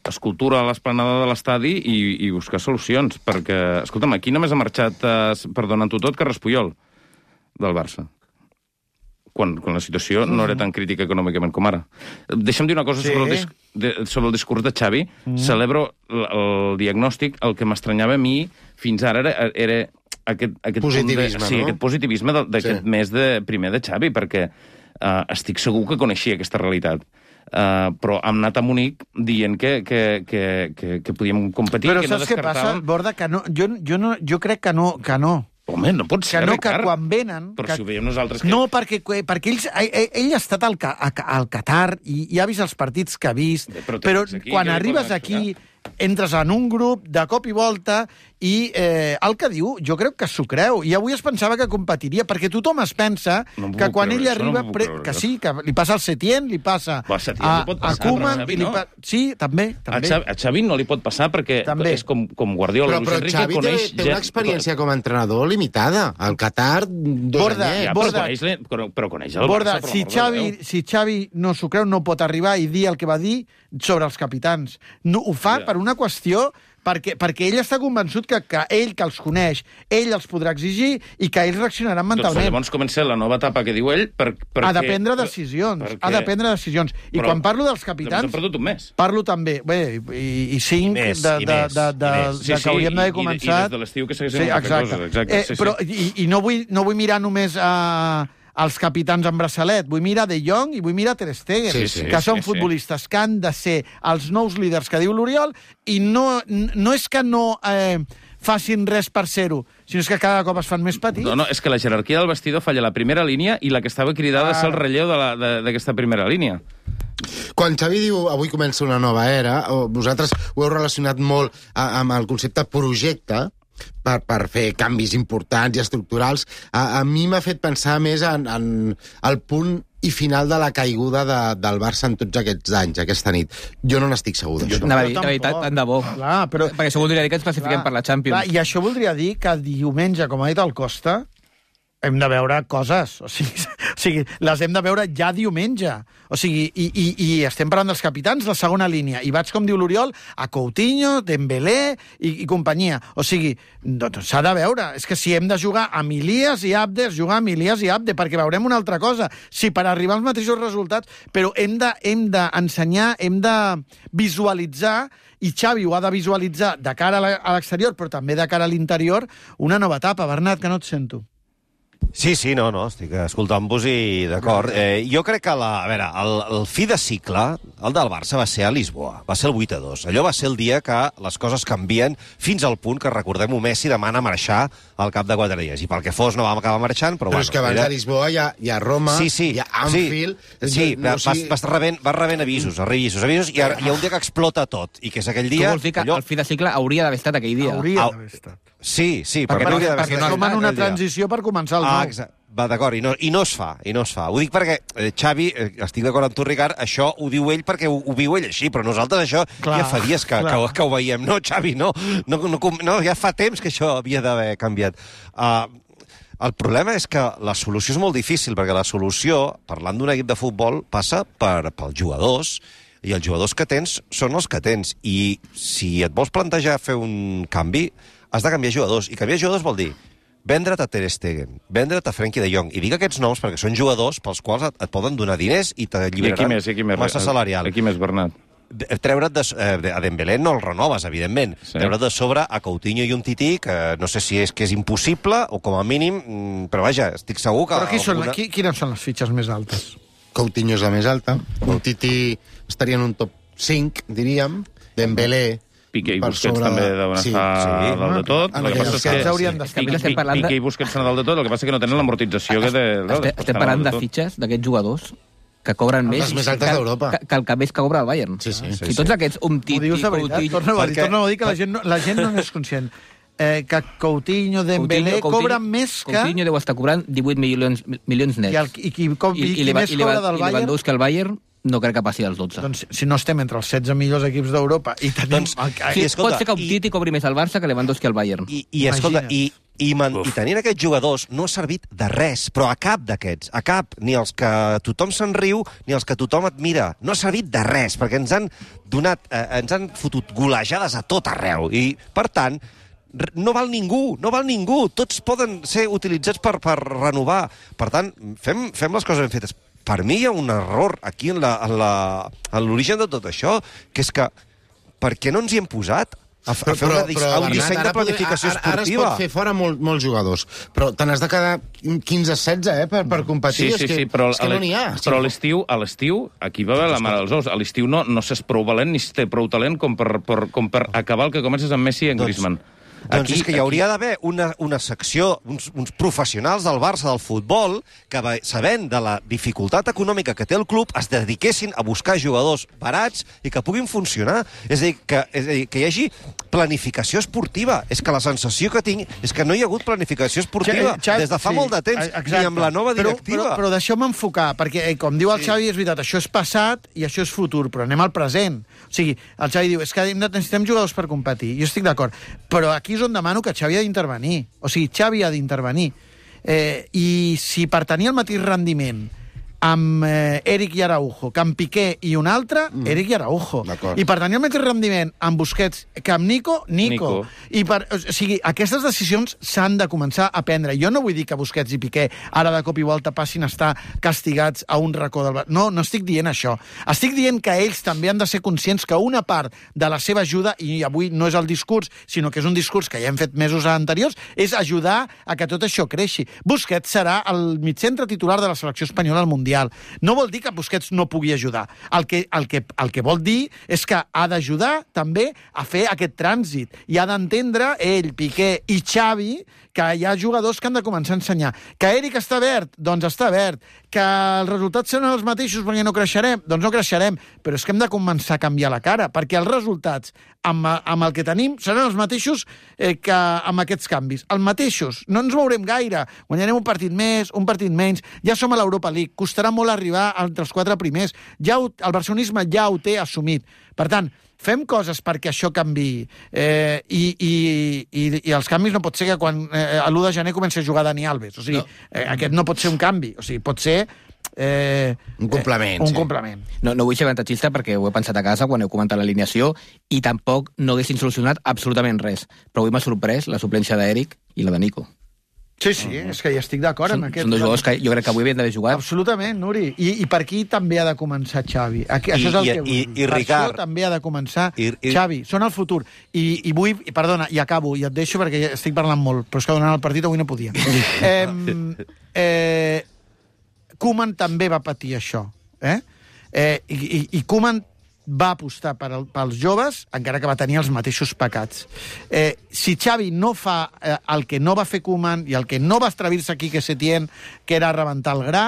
Escultura a l'esplanada de l'estadi i, i buscar solucions, perquè, escolta'm, aquí només ha marxat, eh, perdonant-ho tot, Carles Puyol, del Barça. Quan, quan la situació mm. no era tan crítica econòmicament com ara. Deixa'm dir una cosa sí. sobre, el dis de, sobre el discurs de Xavi. Mm. Celebro el, el diagnòstic. El que m'estranyava a mi fins ara era, era aquest, aquest positivisme, de, sí, no? aquest positivisme d'aquest sí. mes de, primer de Xavi, perquè uh, estic segur que coneixia aquesta realitat. Uh, però hem anat a Munic dient que, que, que, que, que podíem competir, però que no descartàvem... Però saps què passa, Borda? Que no, jo, jo, no, jo crec que no, que no. Home, no pot ser, que no, Ricard. Que quan venen... Però que... si ho veiem nosaltres... Que... No, perquè, perquè ells, ell, ell ha estat al, al Qatar i, i ha vist els partits que ha vist, Bé, però, però aquí, quan arribes aquí... entres en un grup de cop i volta i eh, el que diu, jo crec que s'ho creu. I avui es pensava que competiria, perquè tothom es pensa no que quan creure, ell arriba... No pre... que sí, que li passa al Setién, li passa Va, Setién, a, li pot passar, a Koeman... Xavi, i li no? pa... Sí, també. també. A, Xavi, a Xavi no li pot passar perquè també. És com, com Guardiola. Però, però Xavi té, té una experiència com a entrenador limitada. Al Qatar, dos Borda, anyets. Ja, Borda, però, coneix, però, però coneix el Borda, Barça. Si Xavi, si Xavi no s'ho creu, no pot arribar i dir el que va dir sobre els capitans. No, ho fa ja. per una qüestió... Perquè, perquè ell està convençut que, que ell, que els coneix, ell els podrà exigir i que ells reaccionaran mentalment. Doncs llavors comença la nova etapa que diu ell per, perquè... Ha de prendre decisions, perquè... ha de prendre decisions. I Però, quan parlo dels capitans... Hem perdut un mes. Parlo també, bé, i, i cinc I més, de, de, de, de, de, sí, de que sí, hauríem d'haver i, començat... I des de l'estiu que segueixen sí, exacte. coses. Exacte, eh, sí, però, sí. I, i no, vull, no vull mirar només a... els capitans en braçalet, vull mirar De Jong i vull mirar Ter Stegen, sí, sí, que són sí, futbolistes sí. que han de ser els nous líders que diu l'Oriol, i no, no és que no eh, facin res per ser-ho, sinó és que cada cop es fan més petits. No, no, és que la jerarquia del vestidor falla la primera línia i la que estava cridada ah. és el relleu d'aquesta primera línia. Quan Xavi diu avui comença una nova era, vosaltres ho heu relacionat molt amb el concepte projecte, Per, per fer canvis importants i estructurals, a, a mi m'ha fet pensar més en, en el punt i final de la caiguda de, del Barça en tots aquests anys, aquesta nit. Jo no n'estic segur d'això. No, la veritat, tant de bo. Clar, però... Perquè això voldria dir que ens classifiquem clar, per la Champions. Clar, I això voldria dir que diumenge, com ha dit el Costa, hem de veure coses. O sigui, o sigui, les hem de veure ja diumenge. O sigui, i, i, i estem parlant dels capitans de segona línia. I vaig, com diu l'Oriol, a Coutinho, Dembélé i, i companyia. O sigui, doncs s'ha de veure. És que si hem de jugar amb Ilias i Abde, jugar amb Ilias i Abde, perquè veurem una altra cosa. Si per arribar als mateixos resultats, però hem de, hem d'ensenyar, hem de visualitzar, i Xavi ho ha de visualitzar de cara a l'exterior, però també de cara a l'interior, una nova etapa. Bernat, que no et sento. Sí, sí, no, no, estic escoltant-vos i d'acord. Eh, jo crec que la, a veure, el, el fi de cicle, el del Barça, va ser a Lisboa, va ser el vuit a dos. Allò va ser el dia que les coses canvien fins al punt que, recordem-ho, Messi demana marxar al cap de quatre dies. I pel que fos no vam acabar marxant, però, però bueno... és que abans era... de Lisboa hi ha, hi ha Roma, sí, sí, hi ha Anfield... Sí, sí no, vas, sigui... vas, rebent, vas rebent avisos, avisos, avisos, i hi ha un dia que explota tot, i que és aquell dia... Tu vols dir que allò... el fi de cicle hauria d'haver estat aquell dia? Hauria d'haver estat. Sí, sí, perquè, perquè, perquè, perquè no som en una transició per començar el nou. Ah, exacte. Va, d'acord, i, no, i no es fa, i no es fa. Ho dic perquè, eh, Xavi, eh, estic d'acord amb tu, Ricard, això ho diu ell perquè ho, ho viu ell així, però nosaltres això clar, ja fa dies que, que, que ho veiem. No, Xavi, no, no, no, no, ja fa temps que això havia d'haver canviat. Uh, el problema és que la solució és molt difícil, perquè la solució, parlant d'un equip de futbol, passa per, pels jugadors, i els jugadors que tens són els que tens. I si et vols plantejar fer un canvi, has de canviar jugadors. I canviar jugadors vol dir vendre't a Ter Stegen, vendre't a Frenkie de Jong. I dic aquests noms perquè són jugadors pels quals et, et poden donar diners i t'alliberaran massa salarial. I aquí més, Bernat? Treure't de, eh, a Dembélé no el renoves, evidentment. Sí. Treure't de sobre a Coutinho i un Tití, que no sé si és que és impossible o com a mínim, però vaja, estic segur que... Però qui alguna... són, qui, quines són les fitxes més altes? Coutinho és la més alta. Un Tití estaria en un top cinc, diríem. Dembélé... Piqué i Busquets sobre... també deuen sí, estar sí. dalt de tot. En el que passa és que haurien d'estar. Piqué i Busquets estan dalt de tot, el que passa és que no tenen l'amortització que té... Estem, estem parlant de fitxes d'aquests jugadors que cobren més... Les més altes d'Europa. Que, que el que més que cobra el Bayern. Sí, sí. Si tots aquests Umtiti, Ho dius de veritat? Coutinho... Torna a dir, perquè... torna a dir que la gent, no, la gent no n'és conscient. Eh, que Coutinho, Dembélé, Coutinho, cobren més que... Coutinho deu estar cobrant divuit milions, milions nets. I, el, i, qui, com, i, i, i, i més cobra del I Bayern... Lewandowski al Bayern no crec que passi als dotze. Doncs si no estem entre els setze millors equips d'Europa i tenim... Doncs, sí, escolta, pot ser que Umtiti i... cobri més al Barça que Lewandowski al Bayern. I, i escolta, i, i, man, i tenint aquests jugadors no ha servit de res, però a cap d'aquests, a cap, ni els que tothom se'n riu, ni els que tothom admira. No ha servit de res, perquè ens han donat, eh, ens han fotut golejades a tot arreu. I, per tant, no val ningú, no val ningú. Tots poden ser utilitzats per, per renovar. Per tant, fem, fem les coses ben fetes. Per mi hi ha un error aquí en l'origen de tot això, que és que per què no ens hi hem posat a, a fer però, una, però, a un disseny de planificació ara, ara esportiva? Ara es pot fer fora molt, molts jugadors, però te n'has de quedar quinze setze eh, per, per competir. Sí, sí, és que, sí, però, és que no n'hi ha. Però a l'estiu, a l'estiu, aquí va haver la mare dels ous. A l'estiu no, no s'és prou valent ni té prou talent com per, per, com per acabar el que comences amb Messi i en Griezmann. Doncs aquí, és que hi hauria d'haver una, una secció, uns, uns professionals del Barça del futbol que, sabent de la dificultat econòmica que té el club, es dediquessin a buscar jugadors barats i que puguin funcionar. És a dir, que, és a dir, que hi hagi planificació esportiva. És que la sensació que tinc és que no hi ha hagut planificació esportiva Xavi, des de fa sí, molt de temps, exacte. ni amb la nova directiva. Però, però, però deixeu-me enfocar, perquè, eh, com diu el sí. Xavi, és veritat, això és passat i això és futur, però anem al present. O sigui, el Xavi diu, és que necessitem jugadors per competir. Jo estic d'acord, però aquí és on demano que Xavi ha d'intervenir. O sigui, Xavi ha d'intervenir. Eh, I si per tenir el mateix rendiment amb eh, Eric i Araujo, que amb Piqué i un altre, mm. Eric i Araujo. I per tenir el mateix rendiment amb Busquets que amb Nico, Nico. Nico. I per, o sigui, aquestes decisions s'han de començar a prendre. Jo no vull dir que Busquets i Piqué ara de cop i volta passin a estar castigats a un racó del... No, no estic dient això. Estic dient que ells també han de ser conscients que una part de la seva ajuda, i avui no és el discurs, sinó que és un discurs que ja hem fet mesos anteriors, és ajudar a que tot això creixi. Busquets serà el mitjantre titular de la selecció espanyola al Mundial. No vol dir que Busquets no pugui ajudar. El que, el que, el que vol dir és que ha d'ajudar també a fer aquest trànsit i ha d'entendre ell, Piqué i Xavi que hi ha jugadors que han de començar a ensenyar. Que Eric està verd? Doncs està verd. Que els resultats seran els mateixos perquè no creixerem? Doncs no creixerem. Però és que hem de començar a canviar la cara, perquè els resultats amb, amb el que tenim seran els mateixos eh, que amb aquests canvis. Els mateixos. No ens veurem gaire. Guanyarem un partit més, un partit menys. Ja som a l'Europa League. Costarà molt arribar entre els quatre primers. Ja ho, el barcelonisme ja ho té assumit. Per tant, fem coses perquè això canviï. Eh, i, i, i, I els canvis no pot ser que quan eh, a l'u de gener comenci a jugar Dani Alves. O sigui, no. Eh, aquest no pot ser un canvi. O sigui, pot ser... Eh, un complement. Eh, un sí. complement. No, no vull ser avantatgista perquè ho he pensat a casa quan heu comentat l'alineació i tampoc no haguessin solucionat absolutament res. Però avui m'ha sorprès la suplència d'Eric i la de Nico. Sí, sí, uh-huh. és que hi estic d'acord amb aquest. Són dos jugadors que jo crec que avui havien d'haver jugat. Absolutament, Nuri. I, I per aquí també ha de començar Xavi. Aquí, I, això és el i, que vull i, dir. i Ricard... Això també ha de començar I, i... Xavi. Són el futur. I, i vull... I perdona, i acabo, i et deixo perquè ja estic parlant molt, però és que donant el partit avui no podia. eh, eh, Koeman també va patir això. Eh? Eh, I i, i Koeman va apostar per al, pels joves, encara que va tenir els mateixos pecats. Eh, si Xavi no fa eh, el que no va fer Koeman i el que no va estrevir-se aquí que Setién, que era rebentar el gra,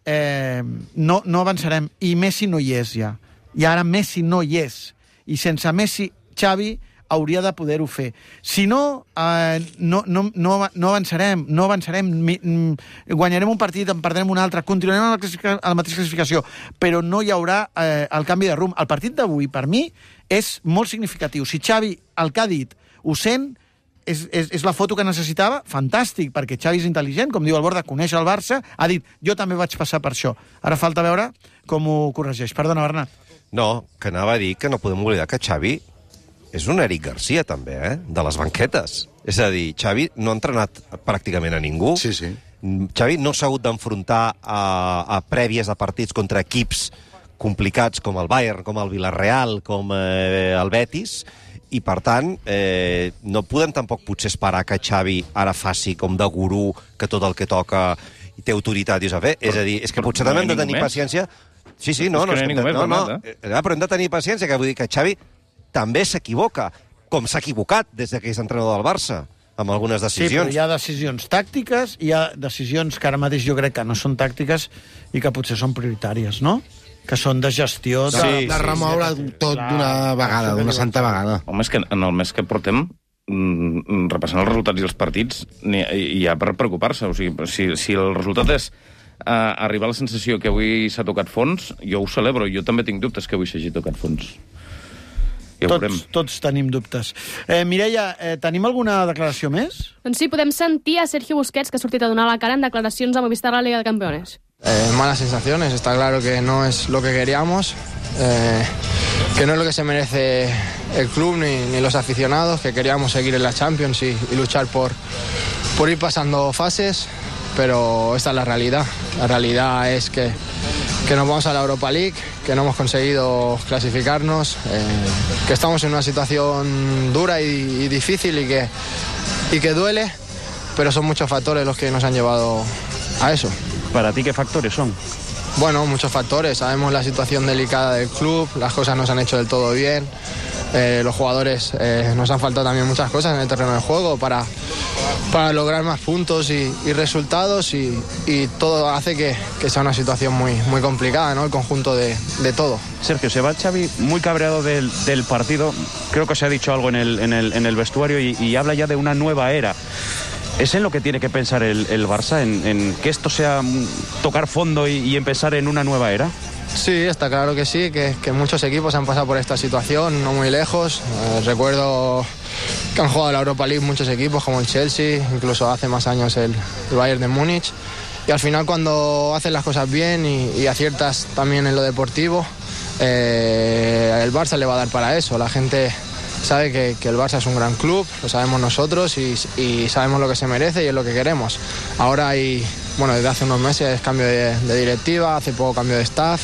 eh, no, no avançarem. I Messi no hi és ja. I ara Messi no hi és. I sense Messi, Xavi hauria de poder-ho fer. Si no, eh, no, no, no, no avançarem, no avançarem, guanyarem un partit, en perdrem un altre, continuarem a la, a la mateixa classificació, però no hi haurà eh, el canvi de rumb. El partit d'avui, per mi, és molt significatiu. Si Xavi, el que ha dit, ho sent, és, és, és la foto que necessitava, fantàstic, perquè Xavi és intel·ligent, com diu el Borda, coneix el Barça, ha dit, jo també vaig passar per això. Ara falta veure com ho corregeix. Perdona, Bernat. No, que anava a dir que no podem oblidar que Xavi és un Eric Garcia, també, eh? De les banquetes. És a dir, Xavi no ha entrenat pràcticament a ningú. Sí, sí. Xavi no s'ha hagut d'enfrontar a, a prèvies de partits contra equips complicats com el Bayern, com el Villarreal, com eh, el Betis, i, per tant, eh, no podem tampoc potser esperar que Xavi ara faci com de gurú, que tot el que toca i té autoritat i ho sap fer. És a dir, és que potser no també hem de tenir paciència... Sí, sí, no, és que no, no, no, no, no, eh? Però hem de tenir paciència, que vull dir que Xavi també s'equivoca, com s'ha equivocat des que és entrenador del Barça. amb algunes decisions. Sí, però hi ha decisions tàctiques, hi ha decisions que ara mateix jo crec que no són tàctiques i que potser són prioritàries, no? Que són de gestió... De, sí, de remoure sí, tot d'una vegada, d'una santa vegada. Home, és que en el mes que portem, mm, repassant els resultats i els partits, hi ha per preocupar-se. O sigui, si, si el resultat és uh, arribar a la sensació que avui s'ha tocat fons, jo ho celebro. Jo també tinc dubtes que avui s'hagi tocat fons. Ja tots, tots tenim dubtes. Eh, Mireia, eh, tenim alguna declaració més? Doncs sí, podem sentir a Sergio Busquets, que ha sortit a donar la cara en declaracions a Movistar a la Liga de Campeones. Eh, malas sensaciones, está claro que no es lo que queríamos, eh, que no es lo que se merece el club ni, ni los aficionados, que queríamos seguir en la Champions y, y luchar por, por ir pasando fases, pero esta es la realidad. La realidad es que, que nos vamos a la Europa League, que no hemos conseguido clasificarnos, eh, que estamos en una situación dura y, y difícil y que, y que duele, pero son muchos factores los que nos han llevado a eso. ¿Para ti qué factores son? Bueno, muchos factores. Sabemos la situación delicada del club, las cosas no se han hecho del todo bien, eh, los jugadores eh, nos han faltado también muchas cosas en el terreno de juego para, para lograr más puntos y, y resultados y, y todo hace que, que sea una situación muy, muy complicada, ¿no? El conjunto de, de todo. Sergio, se va Xavi muy cabreado del, del partido. Creo que se ha dicho algo en el, en el, en el vestuario y, y habla ya de una nueva era. ¿Es en lo que tiene que pensar el, el Barça? ¿En, en que esto sea tocar fondo y, y empezar en una nueva era? Sí, está claro que sí, que, que muchos equipos han pasado por esta situación, no muy lejos. Eh, recuerdo que han jugado la Europa League muchos equipos, como el Chelsea, incluso hace más años el, el Bayern de Múnich. Y al final, cuando haces las cosas bien y, y aciertas también en lo deportivo, eh, el Barça le va a dar para eso. La gente sabe que, que el Barça es un gran club, lo sabemos nosotros y, y sabemos lo que se merece y es lo que queremos. Ahora hay, bueno, desde hace unos meses cambio de, de directiva, hace poco cambio de staff,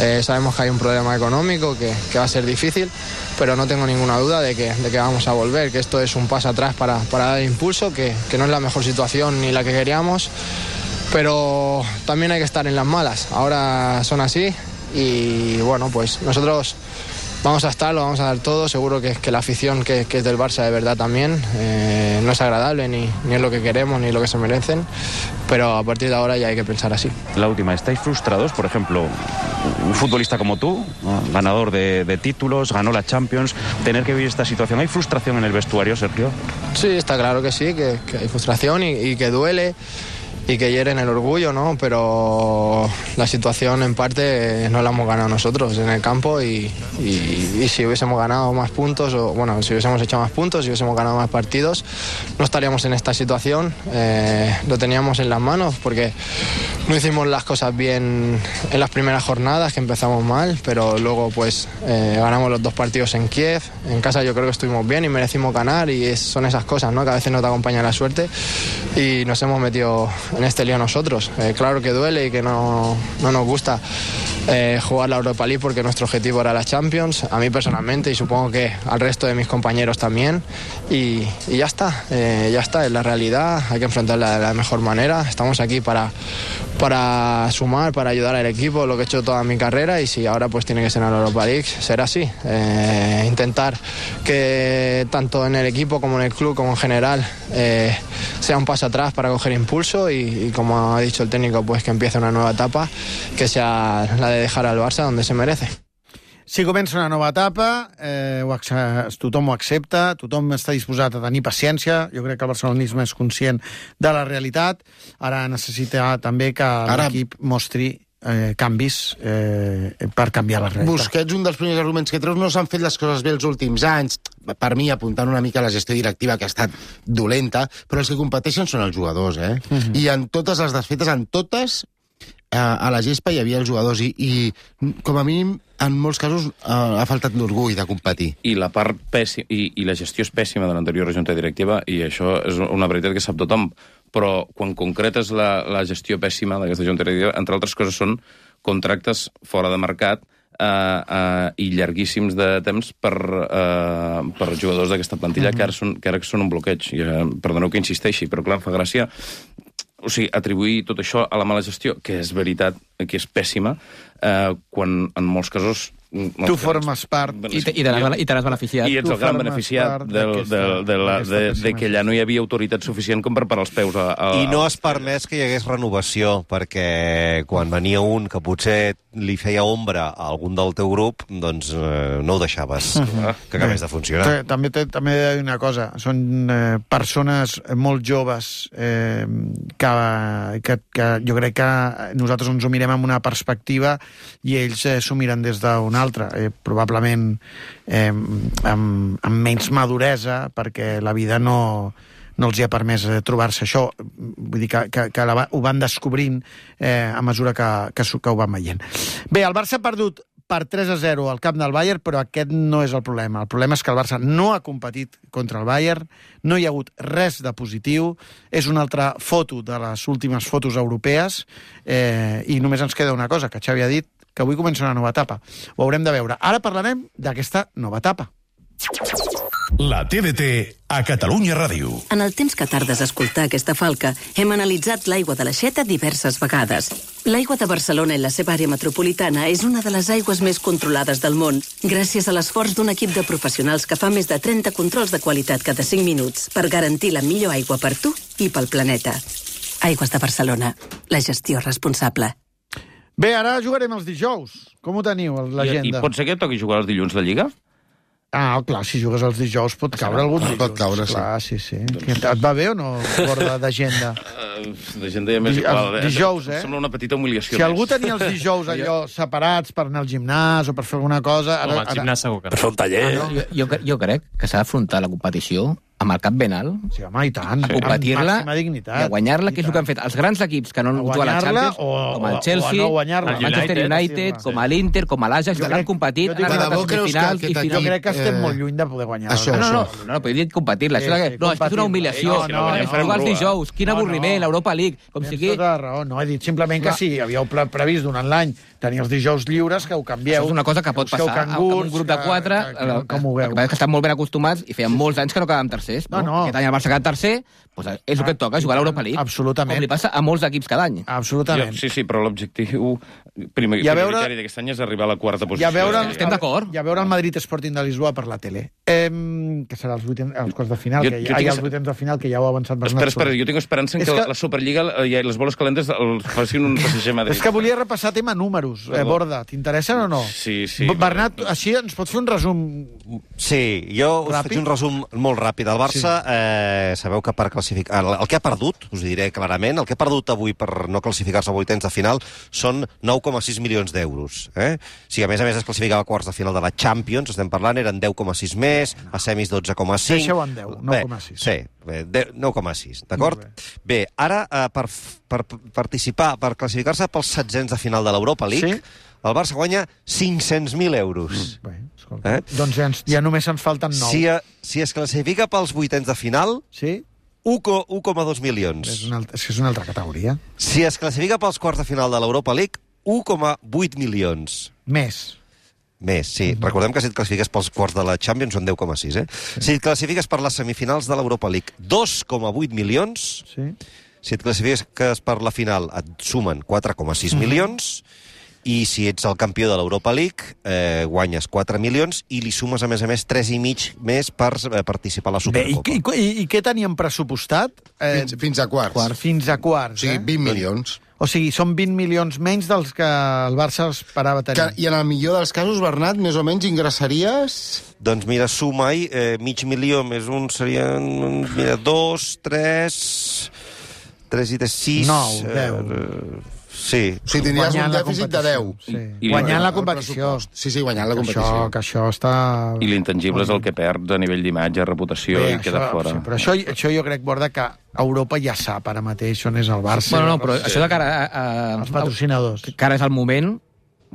eh, sabemos que hay un problema económico que, que va a ser difícil, pero no tengo ninguna duda de que, de que vamos a volver, que esto es un paso atrás para, para dar impulso, que, que no es la mejor situación ni la que queríamos, pero también hay que estar en las malas. Ahora son así y bueno, pues nosotros vamos a estar, lo vamos a dar todo, seguro que, que la afición que, que es del Barça de verdad también, eh, no es agradable ni, ni es lo que queremos ni lo que se merecen, pero a partir de ahora ya hay que pensar así. La última, ¿estáis frustrados? Por ejemplo, un futbolista como tú, ¿no? Ganador de, de títulos, ganó la Champions, tener que vivir esta situación, ¿hay frustración en el vestuario, Sergio? Sí, está claro que sí, que, que hay frustración y, y que duele y que hieren el orgullo, ¿no? Pero la situación en parte no la hemos ganado nosotros en el campo y, y, y si hubiésemos ganado más puntos, o bueno, si hubiésemos hecho más puntos, si hubiésemos ganado más partidos, no estaríamos en esta situación. Eh, lo teníamos en las manos porque no hicimos las cosas bien en las primeras jornadas, que empezamos mal, pero luego pues eh, ganamos los dos partidos en Kiev. En casa yo creo que estuvimos bien y merecimos ganar y es, son esas cosas, ¿no? Que a veces no te acompaña la suerte y nos hemos metido en este lío nosotros. Eh, claro que duele y que no, no nos gusta eh, jugar la Europa League porque nuestro objetivo era la Champions, a mí personalmente y supongo que al resto de mis compañeros también y, y ya está, eh, ya está, es la realidad, hay que enfrentarla de la mejor manera, estamos aquí para, para sumar, para ayudar al equipo, lo que he hecho toda mi carrera y si ahora pues tiene que ser en la Europa League, será así, eh, intentar que tanto en el equipo como en el club como en general eh, sea un paso atrás para coger impulso y, y como ha dicho el técnico, pues que empiece una nueva etapa, que sea la de dejar al Barça donde se merece. Si comença una nova etapa, eh, ho, tothom ho accepta, tothom està disposat a tenir paciència, jo crec que el barcelonisme és conscient de la realitat, ara necessita també que l'equip mostri eh, canvis eh, per canviar la realitat. Busquets, un dels primers arguments que treus, no s'han fet les coses bé els últims anys, per mi apuntant una mica a la gestió directiva que ha estat dolenta, però els que competeixen són els jugadors, eh? Uh-huh. I en totes les desfetes, en totes, eh, a la gespa hi havia els jugadors i, i com a mínim, en molts casos, eh, ha faltat l'orgull de competir. I la part pèssima, i, i la gestió és pèssima de l'anterior junta directiva, i això és una veritat que sap tothom, però quan concretes la, la gestió pèssima d'aquesta junta directiva, entre altres coses són contractes fora de mercat uh, uh, i llarguíssims de temps per, uh, per jugadors d'aquesta plantilla mm-hmm. que, ara són, que ara són un bloqueig. I, uh, perdoneu que insisteixi, però clar, em fa gràcia o sigui, atribuir tot això a la mala gestió, que és veritat, que és pèssima, eh, quan en molts casos Tu formes part. I te, i te n'has, i te n'has beneficiat. I ets el gran beneficiat del, del, de, la, de, de que allà no hi havia autoritat suficient com per parar els peus a... a I no has permès que hi hagués renovació, perquè quan venia un que potser li feia ombra a algun del teu grup, doncs eh, no ho deixaves uh-huh. que acabés de funcionar. També, també he de dir una cosa. Són eh, persones molt joves eh, que, que, que jo crec que nosaltres ens ho mirem amb una perspectiva i ells eh, s'ho miren des d'una altra. Eh, probablement eh, amb, amb menys maduresa, perquè la vida no... no els hi ha permès trobar-se això. Vull dir que, que, que la, ho van descobrint eh, a mesura que, que, que ho van veient. Bé, el Barça ha perdut per tres a zero al camp del Bayern, però aquest no és el problema. El problema és que el Barça no ha competit contra el Bayern, no hi ha hagut res de positiu, és una altra foto de les últimes fotos europees, eh, i només ens queda una cosa, que Xavi ha dit, que avui comença una nova etapa. Ho haurem de veure. Ara parlarem d'aquesta nova etapa. La T D T a Catalunya Ràdio. En el temps que tardes a escoltar aquesta falca, hem analitzat l'aigua de l'Aixeta diverses vegades. L'aigua de Barcelona i la seva àrea metropolitana és una de les aigües més controlades del món, gràcies a l'esforç d'un equip de professionals que fa més de trenta controls de qualitat cada cinc minuts per garantir la millor aigua per tu i pel planeta. Aigües de Barcelona. La gestió responsable. Bé, ara jugarem els dijous. Com ho teniu, l'agenda? I, I pot ser que toqui jugar els dilluns la Lliga? Ah, clar, si jugues els dijous pot caure algun dilluns. Pot caure, sí. Clar, sí, sí. Et va bé o no, borda d'agenda? Uh, d'agenda ja m'és igual. Dijous, eh? Sembla una petita humiliació. Si algú tenia els dijous allò separats per anar al gimnàs o per fer alguna cosa... Home, al gimnàs segur que no. Per fer un taller. Ah, no? jo, jo, jo crec que s'ha d'afrontar la competició amb el cap ben alt, sí, home, i tant, a competir-la i a guanyar-la, que és el que han fet els grans equips que no han jugado a la Champions, o, com el Chelsea, o no el Manchester United, com l'Inter, com l'Ajax, que l'han competit, han arribat a semifinals i finals. Jo crec que estem molt lluny de poder guanyar. Això, no, no, no, no, però he dit competir-la. No, és que és una humiliació. No, no, jugar els dijous, quina avorriment, l'Europa League, com si aquí... Tota raó, no, he dit simplement que si havíeu previst durant l'any tenir els dijous lliures, que ho canvieu. Això és una cosa que pot passar amb un grup de quatre, com ho veu. Que estan molt ben acostumats i feien molts anys que no quedàvem tercers. No, no. Aquest any el Barça ha quedat tercer, doncs és el que et toca, jugar a l'Europa League. Absolutament. Com li passa a molts equips cada any. Absolutament. Sí, sí, però l'objectiu prioritari d'aquest any és arribar a la quarta posició. Estem d'acord. I a veure el Madrid Sporting de Lisboa per la tele. Eh, que serà els, vuitens, els quarts de final, jo, que ja, hi ha els vuitens de final, que ja ho ha avançat Bernat. Espera, espera, jo tinc esperança en que, que la Superliga i les boles calentes els facin un P S G Madrid. És que volia repassar tema números, eh, Borda. T'interessen o no? Sí, sí. Bernat, així ens pots fer un resum? Sí, jo us ràpid? faig un resum molt ràpid. El Barça, sí. eh, sabeu que per classificar... El, el que ha perdut, us ho diré clarament, el que ha perdut avui per no classificar-se a vuitens de final són nou coma sis milions d'euros. Eh? Si a més a més es classificava a quarts de final de la Champions, estem parlant, eren deu coma sis més, a semis dotze coma cinc... Deixeu en deu, nou coma sis. Sí, nou coma sis, d'acord? Bé. bé, ara, eh, per, per participar, per classificar-se pels setzents de final de l'Europa League, sí? El Barça guanya cinc-cents mil euros. Mm. Bé, escolta, eh? Doncs ja, ens, ja només ens falten nou. Si, a, si es classifica pels vuitens de final, sí? u coma dos milions. És una, altra, és una altra categoria. Si es classifica pels quarts de final de l'Europa League, u coma vuit milions. Més. Més, sí. Mm-hmm. Recordem que si et classifiques pels quarts de la Champions són deu coma sis, eh? Sí. Si et classifiques per les semifinals de l'Europa League, dos coma vuit milions. Sí. Si et classifiques per la final, et sumen quatre coma sis mm-hmm. milions. I si ets el campió de l'Europa League, eh, guanyes quatre milions i li sumes, a més a més, tres i mig més per eh, participar a la Supercopa. Bé, i, i, i què teníem pressupostat? Eh, fins, fins a quarts. Quart, fins a quarts, sí, eh? vint milions. O sigui, són vint milions menys dels que el Barça esperava tenir. Que, I en el millor dels casos, Bernat, més o menys ingressaries... Doncs mira, suma-hi, eh, mig milió més un serien, mira, dos, tres... Tres i tres, sis... Nou, deu... Eh, Sí. O sigui, tindries un dèficit de deu. Sí. I guanyant la competició. Sí, sí, guanyant la competició. Això, que això està... I l'intangible és el que perds a nivell d'imatge, reputació, bé, i queda això, fora. Sí, però això, això jo crec, Borda, que Europa ja sap ara mateix on és el Barça. Bueno, no, però això de cara a... a els patrocinadors. Que ara és el moment...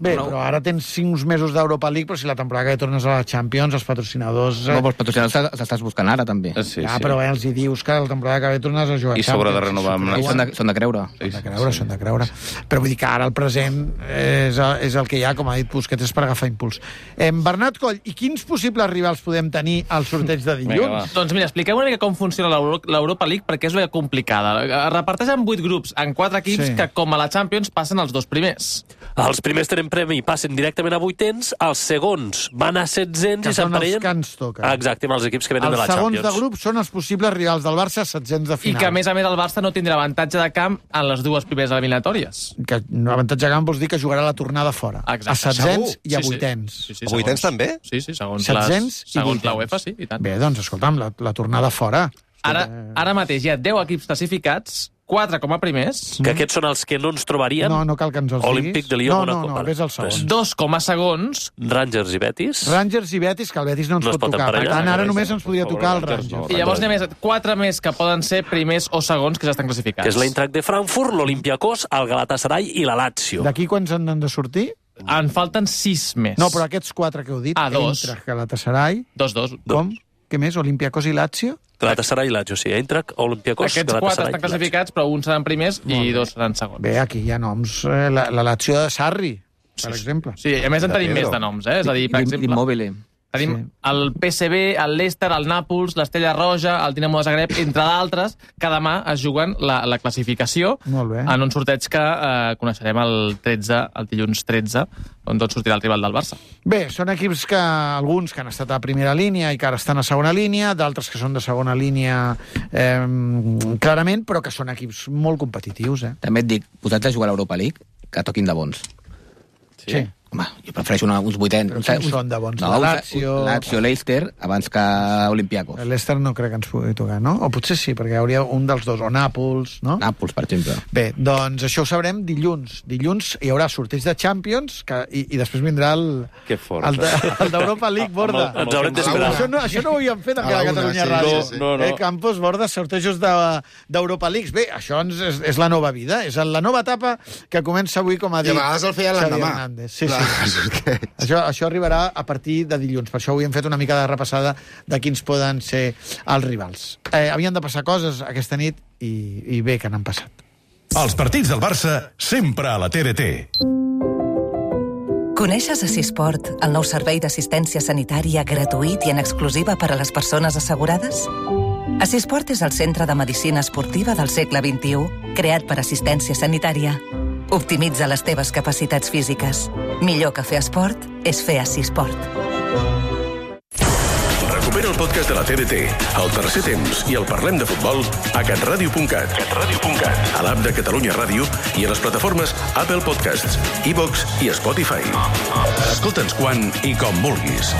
Bé, no. Però ara tens cinc mesos d'Europa League, però si la temporada que tornes a la Champions, els patrocinadors... No, però els patrocinadors estàs buscant ara, també. Sí, ja, sí. però eh, els hi dius que la temporada que ve tornes a jugar a I s'haurà de renovar amb... I són de, són de creure. Són de creure, sí. són de creure. Però vull dir que ara el present és, és el que hi ha, com ha dit Busquets, és per agafar impuls. Eh, Bernat Coll, i quins possibles rivals podem tenir al sorteig de dilluns? Vinga, doncs mira, expliqueu una mica com funciona l'Europa League, perquè és una complicada. Es reparteix en vuit grups, en quatre equips, sí. que com a la Champions passen els dos primers. Els primers tres tenen premi i passen directament a vuitens, els segons van a setzents que i s'emparellen... Que són els que ens toquen. Exacte, amb els equips que venen els de la Champions. Els segons de grup són els possibles rivals del Barça setzents de final. I que, a més a més, el Barça no tindrà avantatge de camp en les dues primeres eliminatòries. Que avantatge de camp vols dir que jugarà la tornada fora. Exacte. A setzents Segur? i a Sí, sí. vuitens. Sí, sí, A vuitens també? Sí, sí, segons, setzents les, segons i la UEFA, sí, i tant. Bé, doncs, escolta'm, la, la tornada fora. Ara, ara mateix hi ha deu equips classificats, quatre com a primers. Que aquests són els que no ens trobarien. No, no cal que ens els Olímpic de Lió, No, no, Mónaco. no, ves al segon. Dos com a segons. Rangers i Betis. Rangers i Betis, que el Betis no ens No es pot pot tocar. Per emparellar. tant, ara només ens podria tocar el Rangers. I llavors n'hi ha més, quatre més que poden ser primers o segons que ja estan classificats. Que és l'Eintracht de Frankfurt, l'Olympiakos, el Galatasaray i la Lazio. D'aquí quants en han de sortir? En falten sis més. No, però aquests quatre que heu dit, Ah, dos. Eintracht, Galatasaray... Dos, dos. Com? Què més? Olympiakos i Lazio? Galatasaray i Lazio, sí. Eintracht, Olympiakos, Aquests quatre Galatasaray estan classificats, però uns seran primers i dos seran segons. Bé, aquí hi ha noms. Eh, la, la Lazio de Sarri, per exemple. Sí, a més en De tenim Pedro. més de noms, eh? És a dir, per exemple... L'Immobile. Tenim sí. el P S V, el Leicester, el Nàpols, l'Estella Roja, el Dinamo de Zagreb, entre d'altres, que demà es juguen la, la classificació Molt bé. en un sorteig que eh, coneixerem el tretze, el dilluns tretze, on tot sortirà el rival del Barça. Bé, són equips que alguns que han estat a primera línia i que ara estan a segona línia, d'altres que són de segona línia eh, clarament, però que són equips molt competitius. Eh? També et dic, posats a jugar a l'Europa League, que toquin de bons. Sí. sí. Home, jo prefereixo una, uns vuitens. Però quins són de bons? No, La uns- Lazio... Lazio, Leicester, abans que Olympiacos. L'Ester no crec que ens pugui tocar, no? O potser sí, perquè hi hauria un dels dos, o Nàpols, no? Nàpols, per exemple. Bé, doncs això ho sabrem dilluns. Dilluns hi haurà sorteig de Champions que, i, i després vindrà el, Que fort. el, de, el d'Europa League, Borda. Amb el- ens haurem d'esperar. Això, no, això no ho havíem fet A encara la a una, Catalunya sí, Ràdio. sí, sí. No, no. Eh, Campos, Borda, sortejos d'Europa de, Leagues. Bé, això ens, és, és la nova vida, és la nova etapa que comença avui, com ha I dit a vegades el feia Xavi l'endemà. Hernández. Sí, Clar, sí. Això, això arribarà a partir de dilluns. Per això avui hem fet una mica de repassada de quins poden ser els rivals. Eh, havien de passar coses aquesta nit i, i bé que n'han passat. Els partits del Barça sempre a la T D T. Coneixes Assisport, el nou servei d'assistència sanitària gratuït i en exclusiva per a les persones assegurades? Assisport és el centre de medicina esportiva del segle vint-i-u, creat per assistència sanitària. Optimitza les teves capacitats físiques. Millor que fer esport és fer Assisport. Recupera el podcast de la T D T, el tercer temps i el Parlem de Futbol a catradio punt cat, catradio punt cat, a l'app de Catalunya Ràdio i a les plataformes Apple Podcasts, iVox i Spotify. Escolta'ns quan i com vulguis.